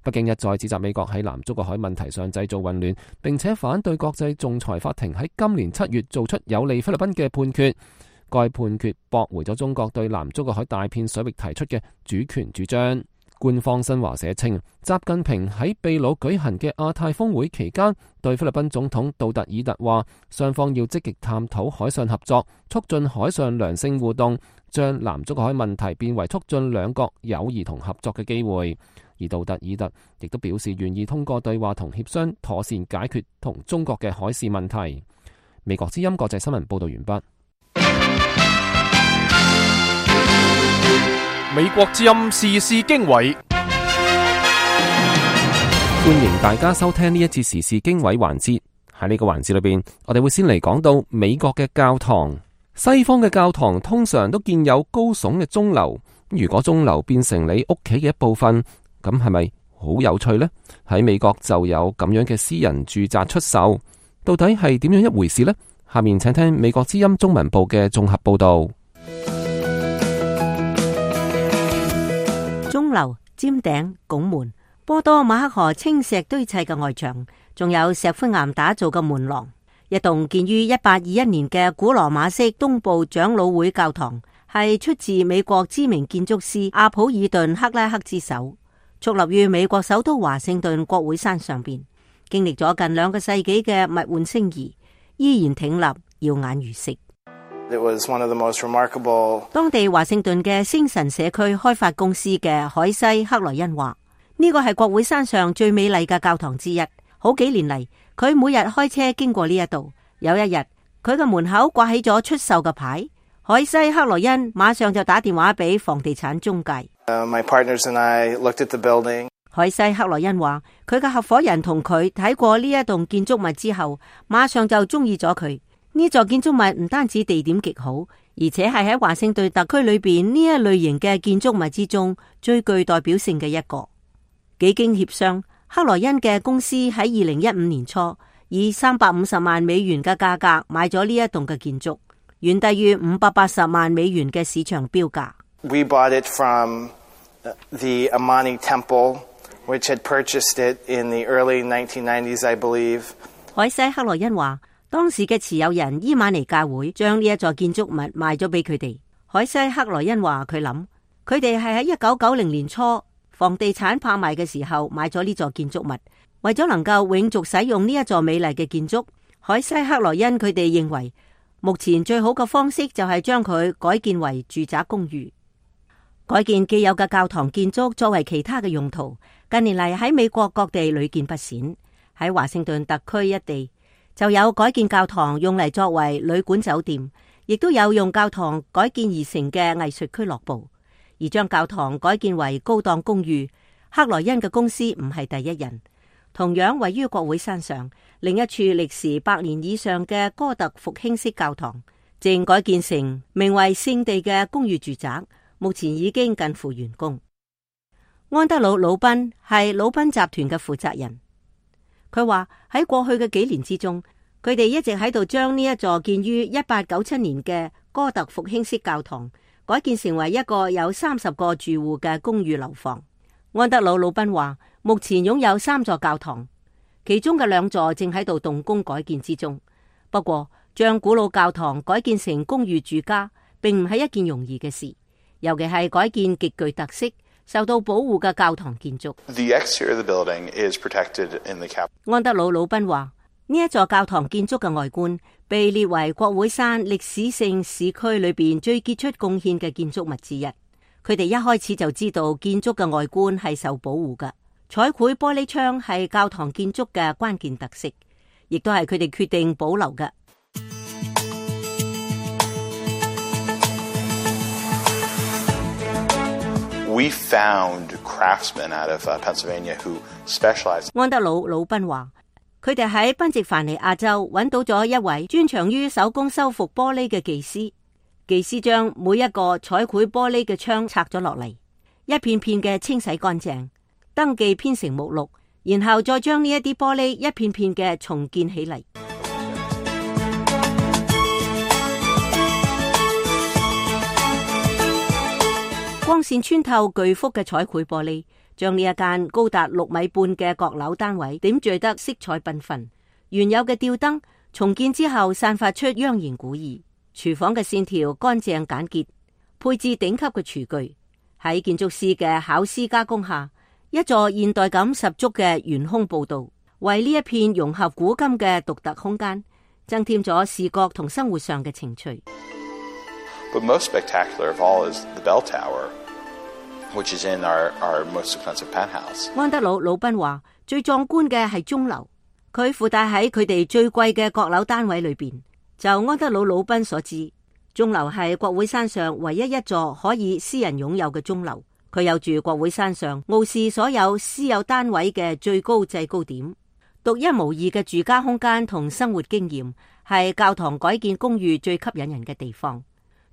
北京一再指責美國喺南中國海問題上製造混亂，並且反對國際仲裁法庭喺今年七月做出有利菲律賓嘅判決。該判決駁回咗中國對南中國海大片水域提出嘅主權主張。官方新華社稱，習近平喺秘魯舉行嘅亞太峰會期間，對菲律賓總統杜特爾特話，雙方要積極探討海上合作，促進海上良性互動，將南中國海問題變為促進兩國友誼同合作嘅機會。而杜特爾特亦都表示願意通過對話同協商，妥善解決同中國嘅海事問題。美國之音國際新聞報道完畢。美國之音時事經緯，歡迎大家收聽呢一節時事經緯環節。喺呢個環節裏邊，我哋會先嚟講到美國嘅教堂。西方嘅教堂通常都建有高聳嘅鐘樓，如果鐘樓變成你屋企嘅一部分，咁係咪好有趣呢？喺美國就有咁樣嘅私人住宅出售，到底係點樣一回事呢？下面請聽美國之音中文部嘅綜合報道。鐘樓、尖頂、拱門、波多馬克河青石堆砌嘅外牆，仲有石灰岩打造嘅門廊。一棟建於一八二一年嘅古羅馬式東部長老會教堂，係出自美國知名建築師阿普爾頓克拉克之手，矗立於美國首都華盛頓國會山上邊，經歷咗近兩個世紀嘅物換星移，依然挺立，耀眼如昔。It was one of the most remarkable... 當地華盛頓嘅星辰社區開發公司嘅海西克萊恩話，呢個係國會山上最美麗嘅教堂之一。好幾年嚟，佢每日開車經過呢一度。有一日，佢嘅門口掛起咗出售嘅牌，海西克萊恩馬上就打電話俾房地產中介。Uh, my partners and I looked at the building. 海西克萊恩話，佢嘅合夥人同佢睇過呢一棟建築物之後，馬上就中意咗佢。呢座建築物唔單止地點極好，而且係喺華盛頓特區裏邊呢一類型嘅建築物之中最具代表性嘅一個。幾經協商，克萊恩嘅公司喺二零一五年初以三百五十萬美元嘅價格買咗呢一棟嘅建築，遠低於五百八十萬美元嘅市場標價。We bought it from the Amani Temple, which had purchased it in the early nineteen nineties, I believe. 海西克萊恩話，當時嘅持有人伊瑪尼教會將呢一座建築物賣咗俾佢哋。海西克萊恩話佢諗，佢哋係喺一九九零年初房地產拍賣嘅時候買咗呢座建築物，為咗能夠永續使用呢一座美麗嘅建築，海西克萊恩佢哋認為目前最好嘅方式就係將佢改建為住宅公寓。改建既有嘅教堂建築作為其他嘅用途，近年嚟喺美國各地屢見不鮮。喺華盛頓特區一地就有改建教堂用嚟作為旅館酒店，亦都有用教堂改建而成嘅藝術俱樂部。而將教堂改建為高檔公寓，克萊恩嘅公司唔係第一人。同樣位於國會山上，另一處歷時百年以上嘅哥特復興式教堂，正改建成名為聖地嘅公寓住宅，目前已經近乎完工。安德魯·魯賓係魯賓集團嘅負責人。佢話喺過去嘅幾年之中，佢哋一直喺度將呢一座建於一八九七年嘅哥特復興式教堂改建成為一個有三十個住戶嘅公寓樓房。安德魯·魯賓話，目前擁有三座教堂，其中嘅兩座正喺度動工改建之中。不過，將古老教堂改建成公寓住家，並唔係一件容易嘅事，尤其係改建極具特色、受到保護嘅教堂建築。The exterior of the building is protected in the cap. 安德魯·魯賓話，呢一座教堂建築嘅外觀被列為國會山歷史性市區裏邊最傑出貢獻嘅建築物之一。佢哋一開始就知道建築嘅外觀係受保護嘅，彩繪玻璃窗係教堂建築嘅關鍵特色，亦都係佢哋決定保留嘅。We found craftsmen out of Pennsylvania who specialize. 安德魯·魯賓話，佢哋喺賓夕凡尼亞州揾到咗一位專長於手工修復玻璃嘅技師。技師將每一個彩繪玻璃嘅窗拆咗落嚟，一片片嘅清洗乾淨，登記編成目錄，然後再將呢一啲玻璃一片片嘅重建起嚟。光線穿透巨幅嘅彩繪玻璃，將呢一間高達六米半嘅閣樓單位點綴得色彩繽紛。原有嘅吊燈重建之後，散發出央言古意。廚房嘅線條乾淨簡潔，配置頂級嘅廚具。喺建築師嘅巧思加工下，一座現代感十足嘅懸空步道，為呢一片融合古今嘅獨特空間增添咗視覺同生活上嘅情趣。But most spectacular of all is the bell tower, which is in our, our most expensive penthouse. 安德魯·魯賓話：最壯觀嘅係鐘樓，佢附帶喺佢哋最貴嘅閣樓單位裏邊。就安德魯·魯賓所知，鐘樓係國會山上唯一一座可以私人擁有嘅鐘樓。佢有住國會山上傲視所有私有單位嘅最高制高點，獨一無二嘅住家空間同生活經驗，係教堂改建公寓最吸引人嘅地方。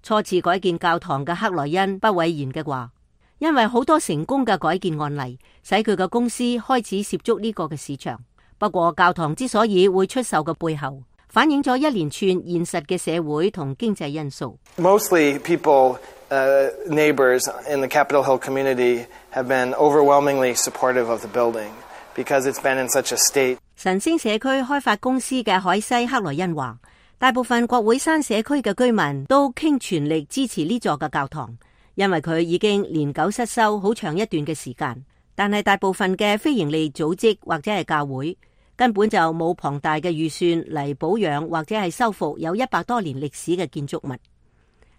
初次改建教堂嘅克萊恩不諱言嘅話，因為好多成功嘅改建案例，使佢嘅公司開始涉足呢個嘅市場。不過教堂之所以會出售嘅背後，反映咗一連串現實嘅社會同經濟因素。Mostly people, uh, neighbors in the Capitol Hill community have been overwhelmingly supportive of the building because it's been in such a state. 晨星社區開發公司嘅海西克萊恩話，大部分國會山社區嘅居民都傾全力支持呢座嘅教堂，因為佢已經年久失修好長一段嘅時間。但係大部分嘅非營利組織或者係教會，根本就冇龐大嘅預算嚟保養或者係修復有一百多年歷史嘅建築物。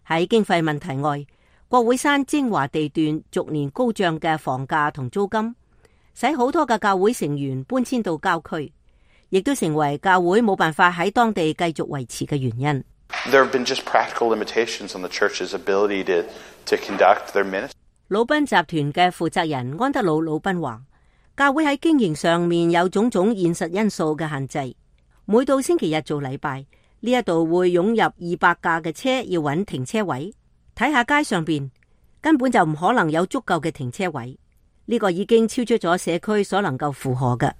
喺經費問題外，國會山精華地段逐年高漲嘅房價同租金，使好多嘅教會成員搬遷到郊區，亦都成為教會冇辦法喺當地繼續維持嘅原因。There have been just practical limitations on the church's ability to, to conduct their ministry. 魯賓集團嘅負責人安德魯·魯賓話，教會喺經營上面有種種現實因素嘅限制。每到星期日做禮拜，呢一度會湧入二百架嘅車，要揾停車位。睇下街上邊根本就唔可能有足夠嘅停車位，呢個已經超出咗社區所能夠負荷嘅。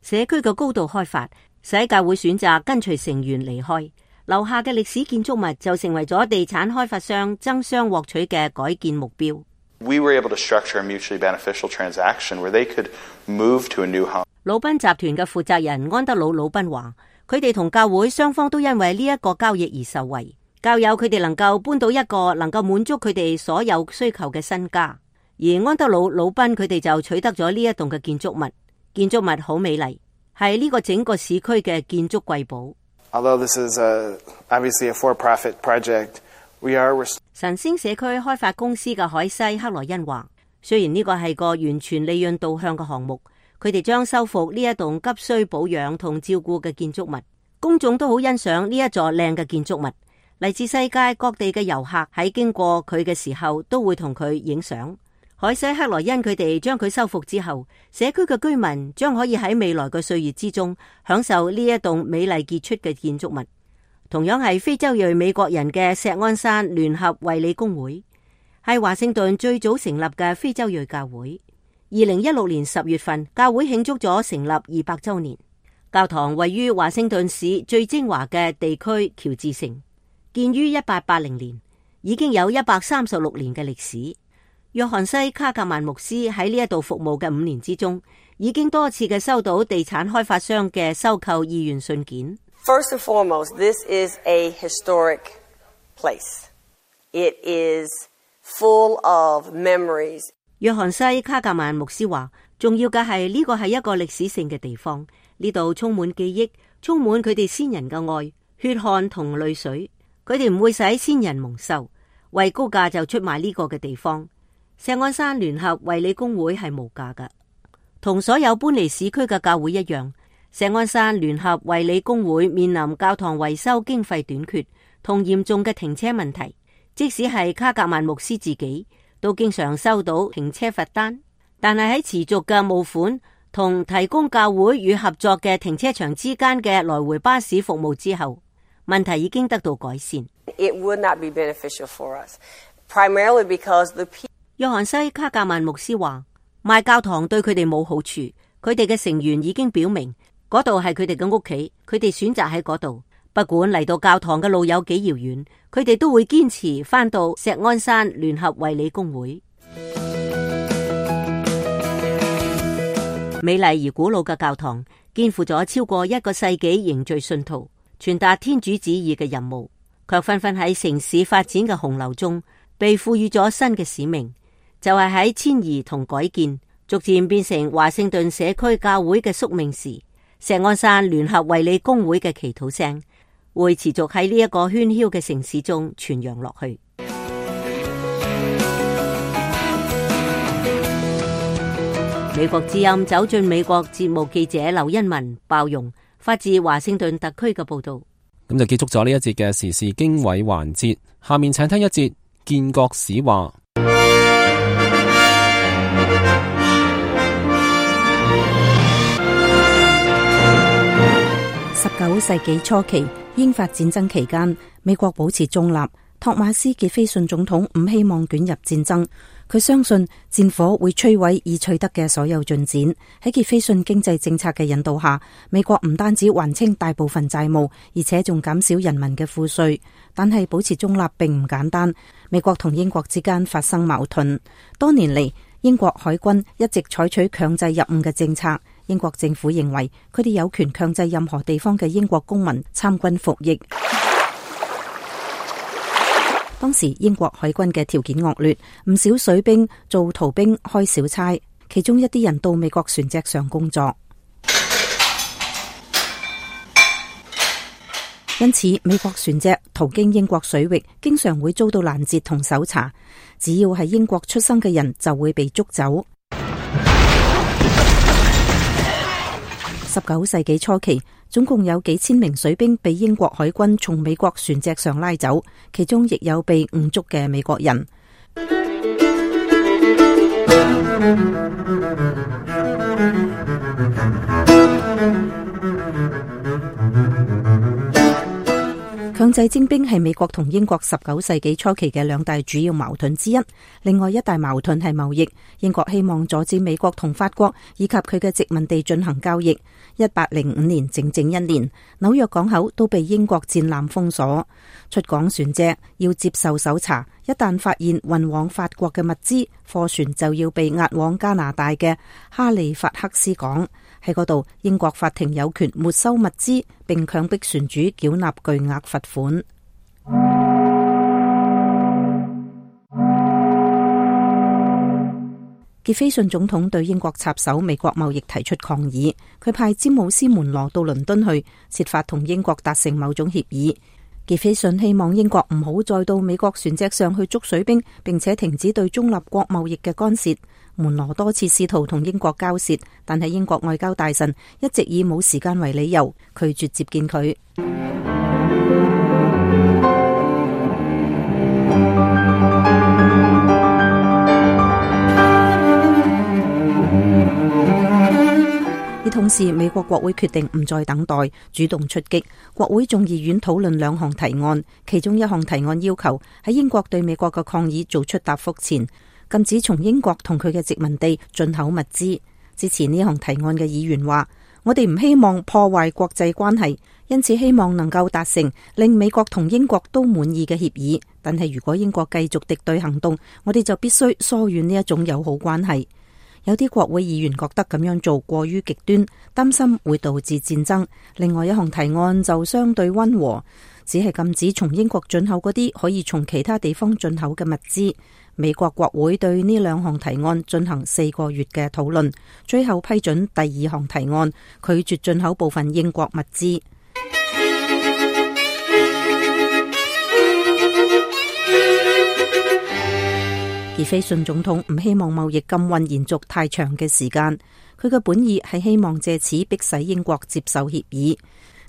社區嘅高度開發使教會選擇跟隨成員離開，留下嘅歷史建築物就成為咗地產開發商爭相獲取嘅改建目標。We were able to structure a mutually beneficial transaction where they could move to a new home. 魯賓集團嘅負責人安德魯·魯賓話，佢哋同教會雙方都因為呢一個交易而受惠。教友佢哋能夠搬到一個能夠滿足佢哋所有需求嘅新家，而安德魯·魯賓佢哋就取得咗呢一棟嘅建築物。建築物好美麗，係呢個整個市區嘅建築瑰寶。Although this is a, obviously a for-profit project, we are... 晨星社區開發公司嘅海西克萊恩話，雖然呢個係個完全利潤導向嘅項目，佢哋將修復呢一棟急需保養同照顧嘅建築物。公眾都好欣賞呢一座靚嘅建築物，嚟自世界各地嘅遊客喺經過佢嘅時候都會同佢影相。海西克萊恩佢哋將佢修復之後，社區嘅居民將可以喺未來嘅歲月之中享受呢一棟美麗傑出嘅建築物。同樣係非洲裔美國人嘅錫安山聯合衛理公會，係華盛頓最早成立嘅非洲裔教會。二零一六年十月份，教會慶祝咗成立二百周年。教堂位於華盛頓市最精華嘅地區喬治城，建於一八八零年，已經有一百三十六年嘅歷史。約翰西卡格曼牧師喺呢一度服務嘅五年之中，已經多次嘅收到地產開發商嘅收購意願信件。First and foremost, this is a historic place. It is full of memories. 約翰西卡格曼牧師話，重要嘅係呢個係一個歷史性嘅地方，呢度充滿記憶，充滿佢哋先人嘅愛、血汗同淚水。佢哋唔會使先人蒙羞，為高價就出賣呢個嘅地方。錫安山聯合衛理公會係無價㗎，同所有搬離市區嘅教會一樣。錫安山聯合衛理公會面臨教堂維修經費短缺同嚴重嘅停車問題，即使係卡格曼牧師自己都經常收到停車罰單，但係喺持續嘅募款同提供教會與合作嘅停車場之間嘅來回巴士服務之後，問題已經得到改善。it would not be beneficial for us, primarily because the people. 約翰西·卡格曼牧師話：賣教堂對佢哋冇好處，佢哋嘅成員已經表明嗰度係佢哋嘅屋企，佢哋選擇喺嗰度。不管嚟到教堂嘅路有幾遙遠，佢哋都會堅持返到石安山聯合衛理公會。美麗而古老嘅教堂肩負咗超過一個世紀凝聚信徒、傳達天主旨意嘅任務，卻紛紛喺城市發展嘅洪流中被賦予咗新嘅使命，就係喺遷移同改建逐漸變成華盛頓社區教會嘅宿命時，石安山聯合衛理公會嘅祈禱聲會持續喺呢一個喧囂嘅城市中傳揚落去。美國之音走進美國節目記者劉欣文包容發自華盛頓特區嘅報道。咁就結束咗呢一節嘅時事經緯環節，下面請聽一節建國史話。十九世紀初期，英法戰爭期間，美國保持中立。托馬斯傑斐遜總統唔希望捲入戰爭，佢相信戰火會摧毀已取得嘅所有進展。喺傑斐遜經濟政策嘅引導下，美國唔單止還清大部分債務，而且仲減少人民嘅賦稅。但係保持中立並唔簡單，美國同英國之間發生矛盾。多年嚟，英國海軍一直採取強制入伍嘅政策。英國政府認為佢哋有權強制任何地方嘅英國公民參軍服役。當時英國海軍嘅條件惡劣，唔少水兵做逃兵開小差，其中一啲人到美國船隻上工作。因此，美國船隻途經英國水域，經常會遭到攔截同搜查。只要係英國出生嘅人，就會被捉走。十九世紀初期，總共有幾千名水兵被英國海軍從美國船隻上拉走，其中亦有被誤捉嘅美國人。強制徵兵係美國同英國十九世紀初期嘅兩大主要矛盾之一。另外一大矛盾係貿易，英國希望阻止美國同法國以及佢嘅殖民地進行交易。一八零五年整整一年，紐約港口都被英國戰艦封鎖，出港船隻要接受搜查，一旦發現運往法國嘅物資，貨船就要被押往加拿大嘅哈利法克斯港。喺嗰度，英國法庭有權沒收物資，並強迫船主繳納巨額罰款。傑斐遜總統對英國插手美國貿易提出抗議，佢派詹姆斯門羅到倫敦去，設法同英國達成某種協議。傑斐遜希望英國唔好再到美國船隻上去捉水兵，並且停止對中立國貿易嘅干涉。門羅多次試圖同英國交涉，但係英國外交大臣一直以冇時間為理由拒絕接見佢。而同時，美國國會決定唔再等待，主動出擊。國會眾議院討論兩項提案，其中一項提案要求喺英國對美國嘅抗議做出答覆前，禁止從英國同佢嘅殖民地進口物資。支持呢項提案嘅議員話：我哋唔希望破壞國際關係，因此希望能夠達成令美國同英國都滿意嘅協議。但係如果英國繼續敵對行動，我哋就必須疏遠呢一種友好關係。有啲國會議員覺得咁樣做過於極端，擔心會導致戰爭。另外一項提案就相對溫和，只係禁止從英國進口嗰啲可以從其他地方進口嘅物資。美國國會對呢兩項提案進行四個月嘅討論，最後批准第二項提案，拒絕進口部分英國物資。傑斐遜總統唔希望貿易禁運延續太長嘅時間，佢嘅本意係希望借此迫使英國接受協議。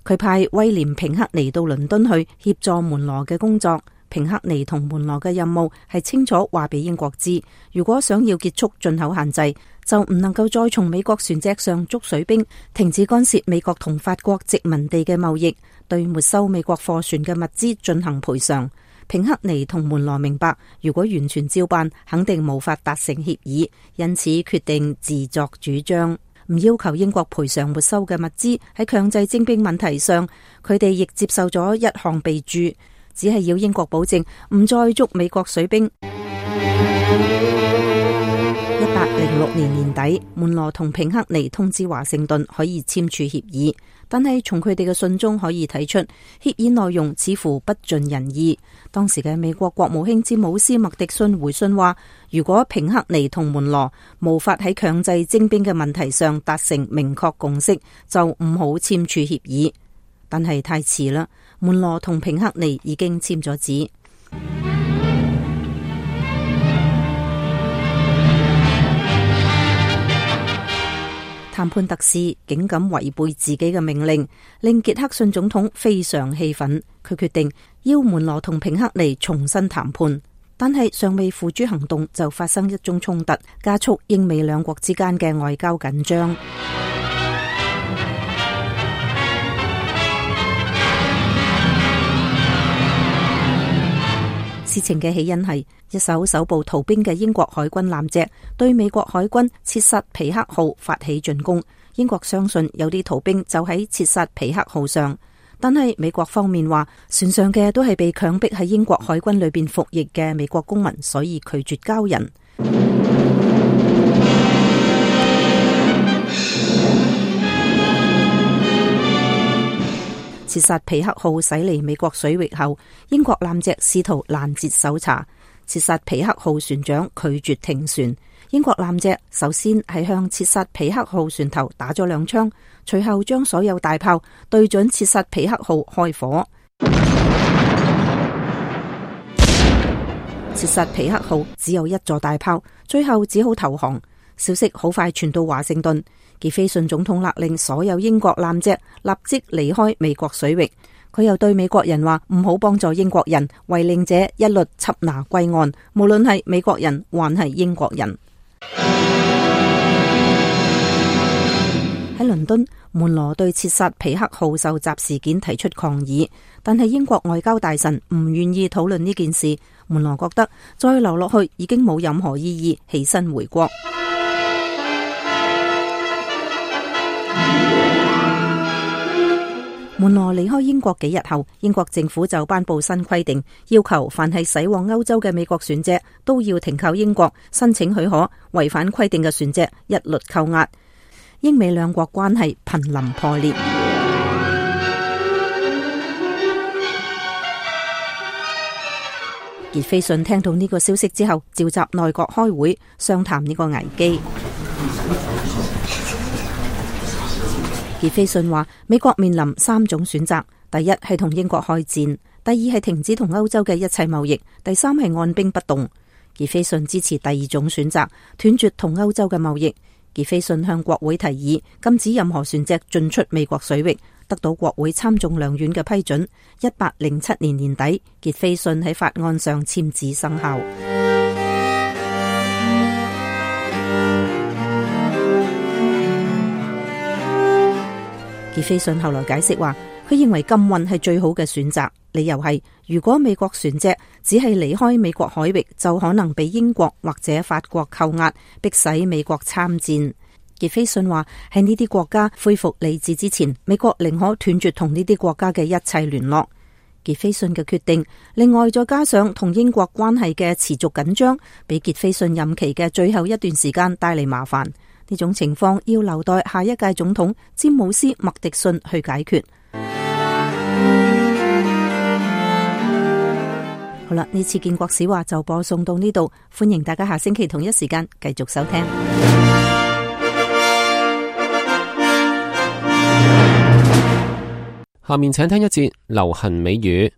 佢派威廉平克尼到倫敦去協助門羅嘅工作。平克尼同門羅嘅任務係清楚話俾英國知，如果想要結束進口限制，就唔能夠再從美國船隻上捉水兵，停止干涉美國同法國殖民地嘅貿易，對沒收美國貨船嘅物資進行賠償。平克尼同門羅明白，如果完全照辦，肯定無法達成協議，因此決定自作主張，唔要求英國賠償沒收嘅物資。喺強制徵兵問題上，佢哋亦接受咗一項備註，只係要英國保證唔再捉美國水兵。一八零六年年底，門羅同平克尼通知華盛頓可以簽署協議，但係從佢哋嘅信中可以睇出，協議內容似乎不盡人意。當時嘅美國國務卿詹姆斯麥迪遜回信話，如果平克尼同門羅無法喺強制徵兵嘅問題上達成明確共識，就唔好簽署協議。但係太遲啦，門羅同平克尼已經簽咗字。談判特使竟敢違背自己嘅命令，令傑克遜總統非常氣憤。佢決定要門羅同平克尼重新談判，但係尚未付諸行動，就發生一宗衝突，加速英美兩國之間嘅外交緊張。事情嘅起因係一艘搜捕逃兵嘅英國海軍艦隻對美國海軍切薩皮克號發起進攻。英國相信有啲逃兵就喺切薩皮克號上，但係美國方面話船上嘅都係被強迫喺英國海軍裏邊服役嘅美國公民，所以拒絕交人。切薩皮克號駛離美國水域後，英國艦隻試圖攔截搜查。切薩皮克號船長拒絕停船，英國艦隻首先係向切薩皮克號船頭打咗兩槍，隨後將所有大炮對準切薩皮克號開火。切薩皮克號只有一座大炮，最後只好投降。消息好快傳到華盛頓，傑斐遜總統勒令所有英國艦隻立即離開美國水域。佢又對美國人話唔好幫助英國人，違令者一律緝拿歸案，無論係美國人還係英國人。喺倫敦，門羅對切薩皮克號受襲事件提出抗議，但係英國外交大臣唔願意討論呢件事。門羅覺得再留落去已經冇任何意義，起身回國。門羅離開英國幾日後，英國政府就頒布新規定，要求凡係駛往歐洲嘅美國船隻都要停靠英國申請許可，違反規定嘅船隻一律扣押。英美兩國關係瀕臨破裂。傑斐遜聽到呢個消息之後，召集內閣開會商談呢個危機。傑斐遜話：美國面臨三種選擇，第一係同英國開戰，第二係停止同歐洲嘅一切貿易，第三係按兵不動。傑斐遜支持第二種選擇，斷絕同歐洲嘅貿易。傑斐遜向國會提議禁止任何船隻進出美國水域，得到國會參眾兩院嘅批准。一八零七年年底，傑斐遜喺法案上簽字生效。傑斐遜後來解釋話，佢認為禁運係最好嘅選擇，理由係如果美國船隻只係離開美國海域，就可能被英國或者法國扣押，迫使美國參戰。傑斐遜話喺呢啲國家恢復理智之前，美國寧可斷絕同呢啲國家嘅一切聯絡。傑斐遜嘅決定，另外再加上同英國關係嘅持續緊張，俾傑斐遜任期嘅最後一段時間帶嚟麻煩。呢種情況要留待下一屆總統詹姆斯麥迪遜去解決。好啦，呢次建國史話就播送到呢度，歡迎大家下星期同一時間繼續收聽。下面請聽一節流行美語。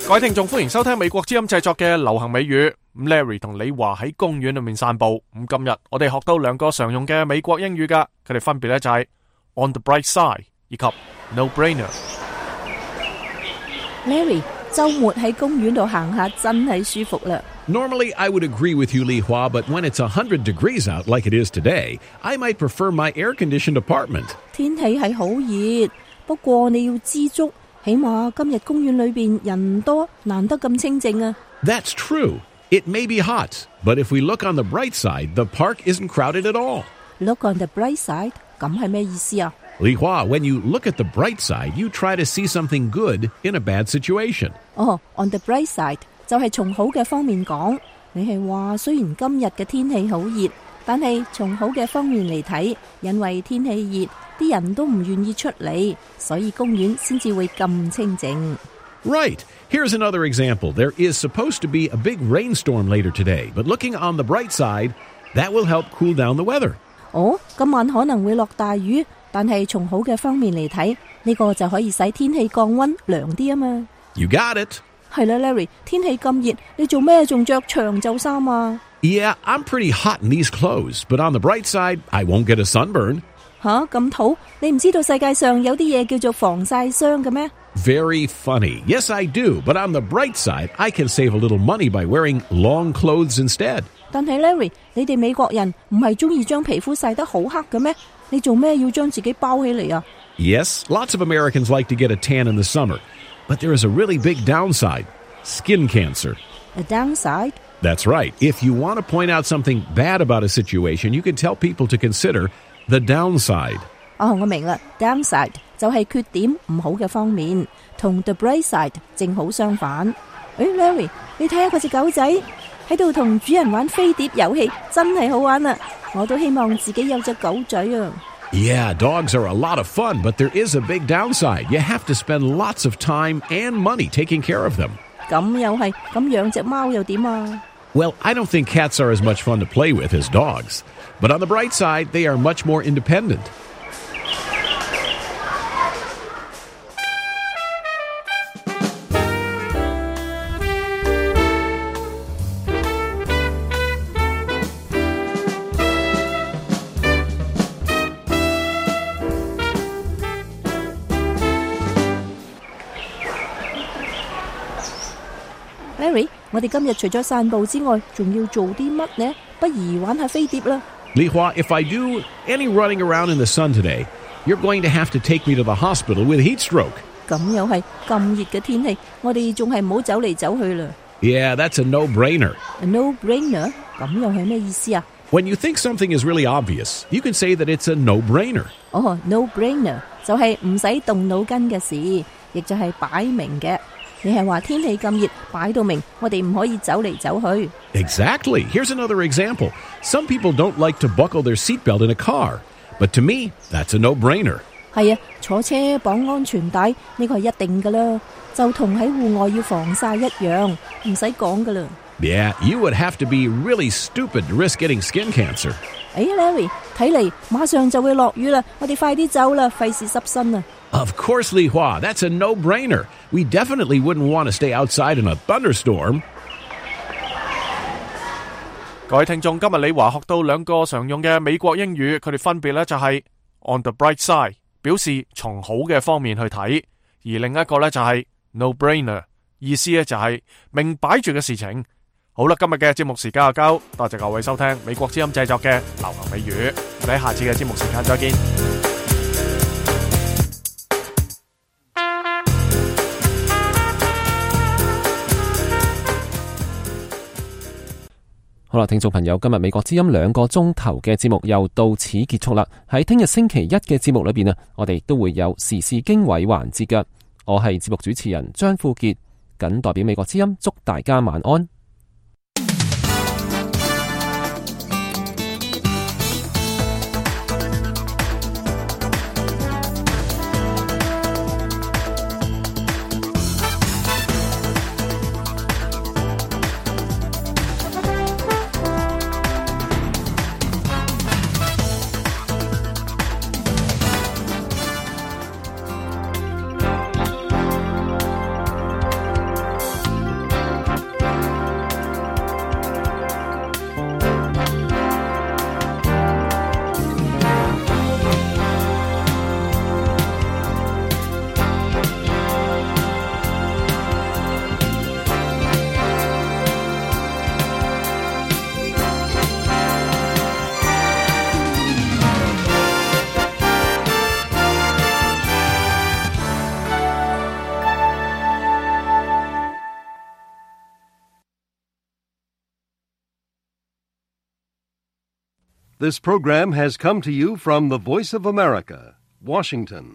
各位聽眾，歡迎收聽美國之音製作嘅流行美語。Larry 同李華喺公園裏面散步。咁今日我哋學到兩個常用嘅美國英語噶，佢哋分別咧就係 on the bright side 以及 no brainer。 Larry， 週末喺公園度行下真係舒服啦。Normally, I would agree with you, Li Hua, but when it's one hundred degrees out like it is today, I might prefer my air-conditioned apartment. 天氣係好熱，不過你要知足，起碼今日公園裏邊人多，難得咁清靜啊。That's true. It may be hot, but if we look on the bright side, the park isn't crowded at all. Look on the bright side， 咁係咩意思啊？ Li Hua, when you look at the bright side, you try to see something good in a bad situation. 哦、oh, on the bright side 就係從好嘅方面講，你係話雖然今日嘅天氣好熱，但係從好嘅方面嚟睇，因為天氣熱，啲人都唔願意出嚟，所以公園先至會咁清靜。Right. Here's another example. There is supposed to be a big rainstorm later today, but looking on the bright side, that will help cool down the weather. 哦，今晚可能會落大雨，但係從好嘅方面嚟睇，呢個就可以使天氣降溫涼啲啊嘛。You got it. 係啦 ，Larry， 天氣咁熱，你做咩仲着長袖衫啊？ Yeah, I'm pretty hot in these clothes, but on the bright side, I won't get a sunburn. 吓，咁土？你唔知道世界上有啲嘢叫做防曬霜嘅咩？ Very funny. Yes, I do. But on the bright side, I can save a little money by wearing long clothes instead. 但係 Larry， 你哋美國人唔係中意將皮膚曬得好黑嘅咩？你做咩要將自己包起嚟啊？ Yes, lots of Americans like to get a tan in the summer. But there is a really big downside. Skin cancer. A downside? That's right. If you want to point out something bad about a situation, you can tell people to consider the downside. 哦，我明啦 ，downside 就係缺點唔好嘅方面，同 the bright side 正好相反。誒 ，Larry， 你睇下嗰隻狗仔喺度同主人玩飛碟遊戲，真係好玩啊！我都希望自己有隻狗仔啊。Yeah, dogs are a lot of fun, but there is a big downside. You have to spend lots of time and money taking care of them. 咁又係，咁養隻貓又點啊？ Well, I don't think cats are as much fun to play with as dogs. But on the bright side, they are much more independent. Larry， 我哋今日除咗散步之外，仲要做啲乜呢？不如玩下飛碟啦。Li Hua, if I do any running around in the sun today, you're going to have to take me to the hospital with heat stroke. 咁又係咁熱嘅天氣，我哋仲係唔好走嚟走去啦。Yeah, that's a no-brainer. A no-brainer？ 咁又係咩意思啊？ When you think something is really obvious, you can say that it's a no-brainer. 哦 ，no-brainer 就係唔使動腦筋嘅事，亦就係擺明嘅。你係話天氣咁熱，擺到明，我哋唔可以走嚟走去。Exactly. Here's another example. Some people don't like to buckle their seatbelt in a car, but to me, that's a no-brainer. 係啊，坐車綁安全帶呢個係一定噶啦，就同喺戶外要防曬一樣，唔使講噶啦。Yeah, you would have to be really stupid to risk getting skin cancer. 哎 ，Larry， 睇嚟馬上就會落雨啦，我哋快啲走啦，費事濕身啊！ Of course, Li Hua, that's a no-brainer. We definitely wouldn't want to stay outside in a thunderstorm. 各位聽眾，今日李華學到兩個常用嘅美國英語，佢哋分別咧就係 on the bright side， 表示從好嘅方面去睇，而另一個咧就係 no-brainer， 意思咧就係明擺住嘅事情。好啦，今日嘅節目時間就夠，多謝各位收聽美國之音製作嘅流行美語，我哋喺下次嘅節目時間再見。好啦，聽眾朋友，今日美國之音兩個鐘頭嘅節目又到此結束啦。喺聽日星期一嘅節目裏邊啊，我哋都會有時事經緯環節嘅。我係節目主持人張富傑，謹代表美國之音祝大家晚安。This program has come to you from the Voice of America, Washington.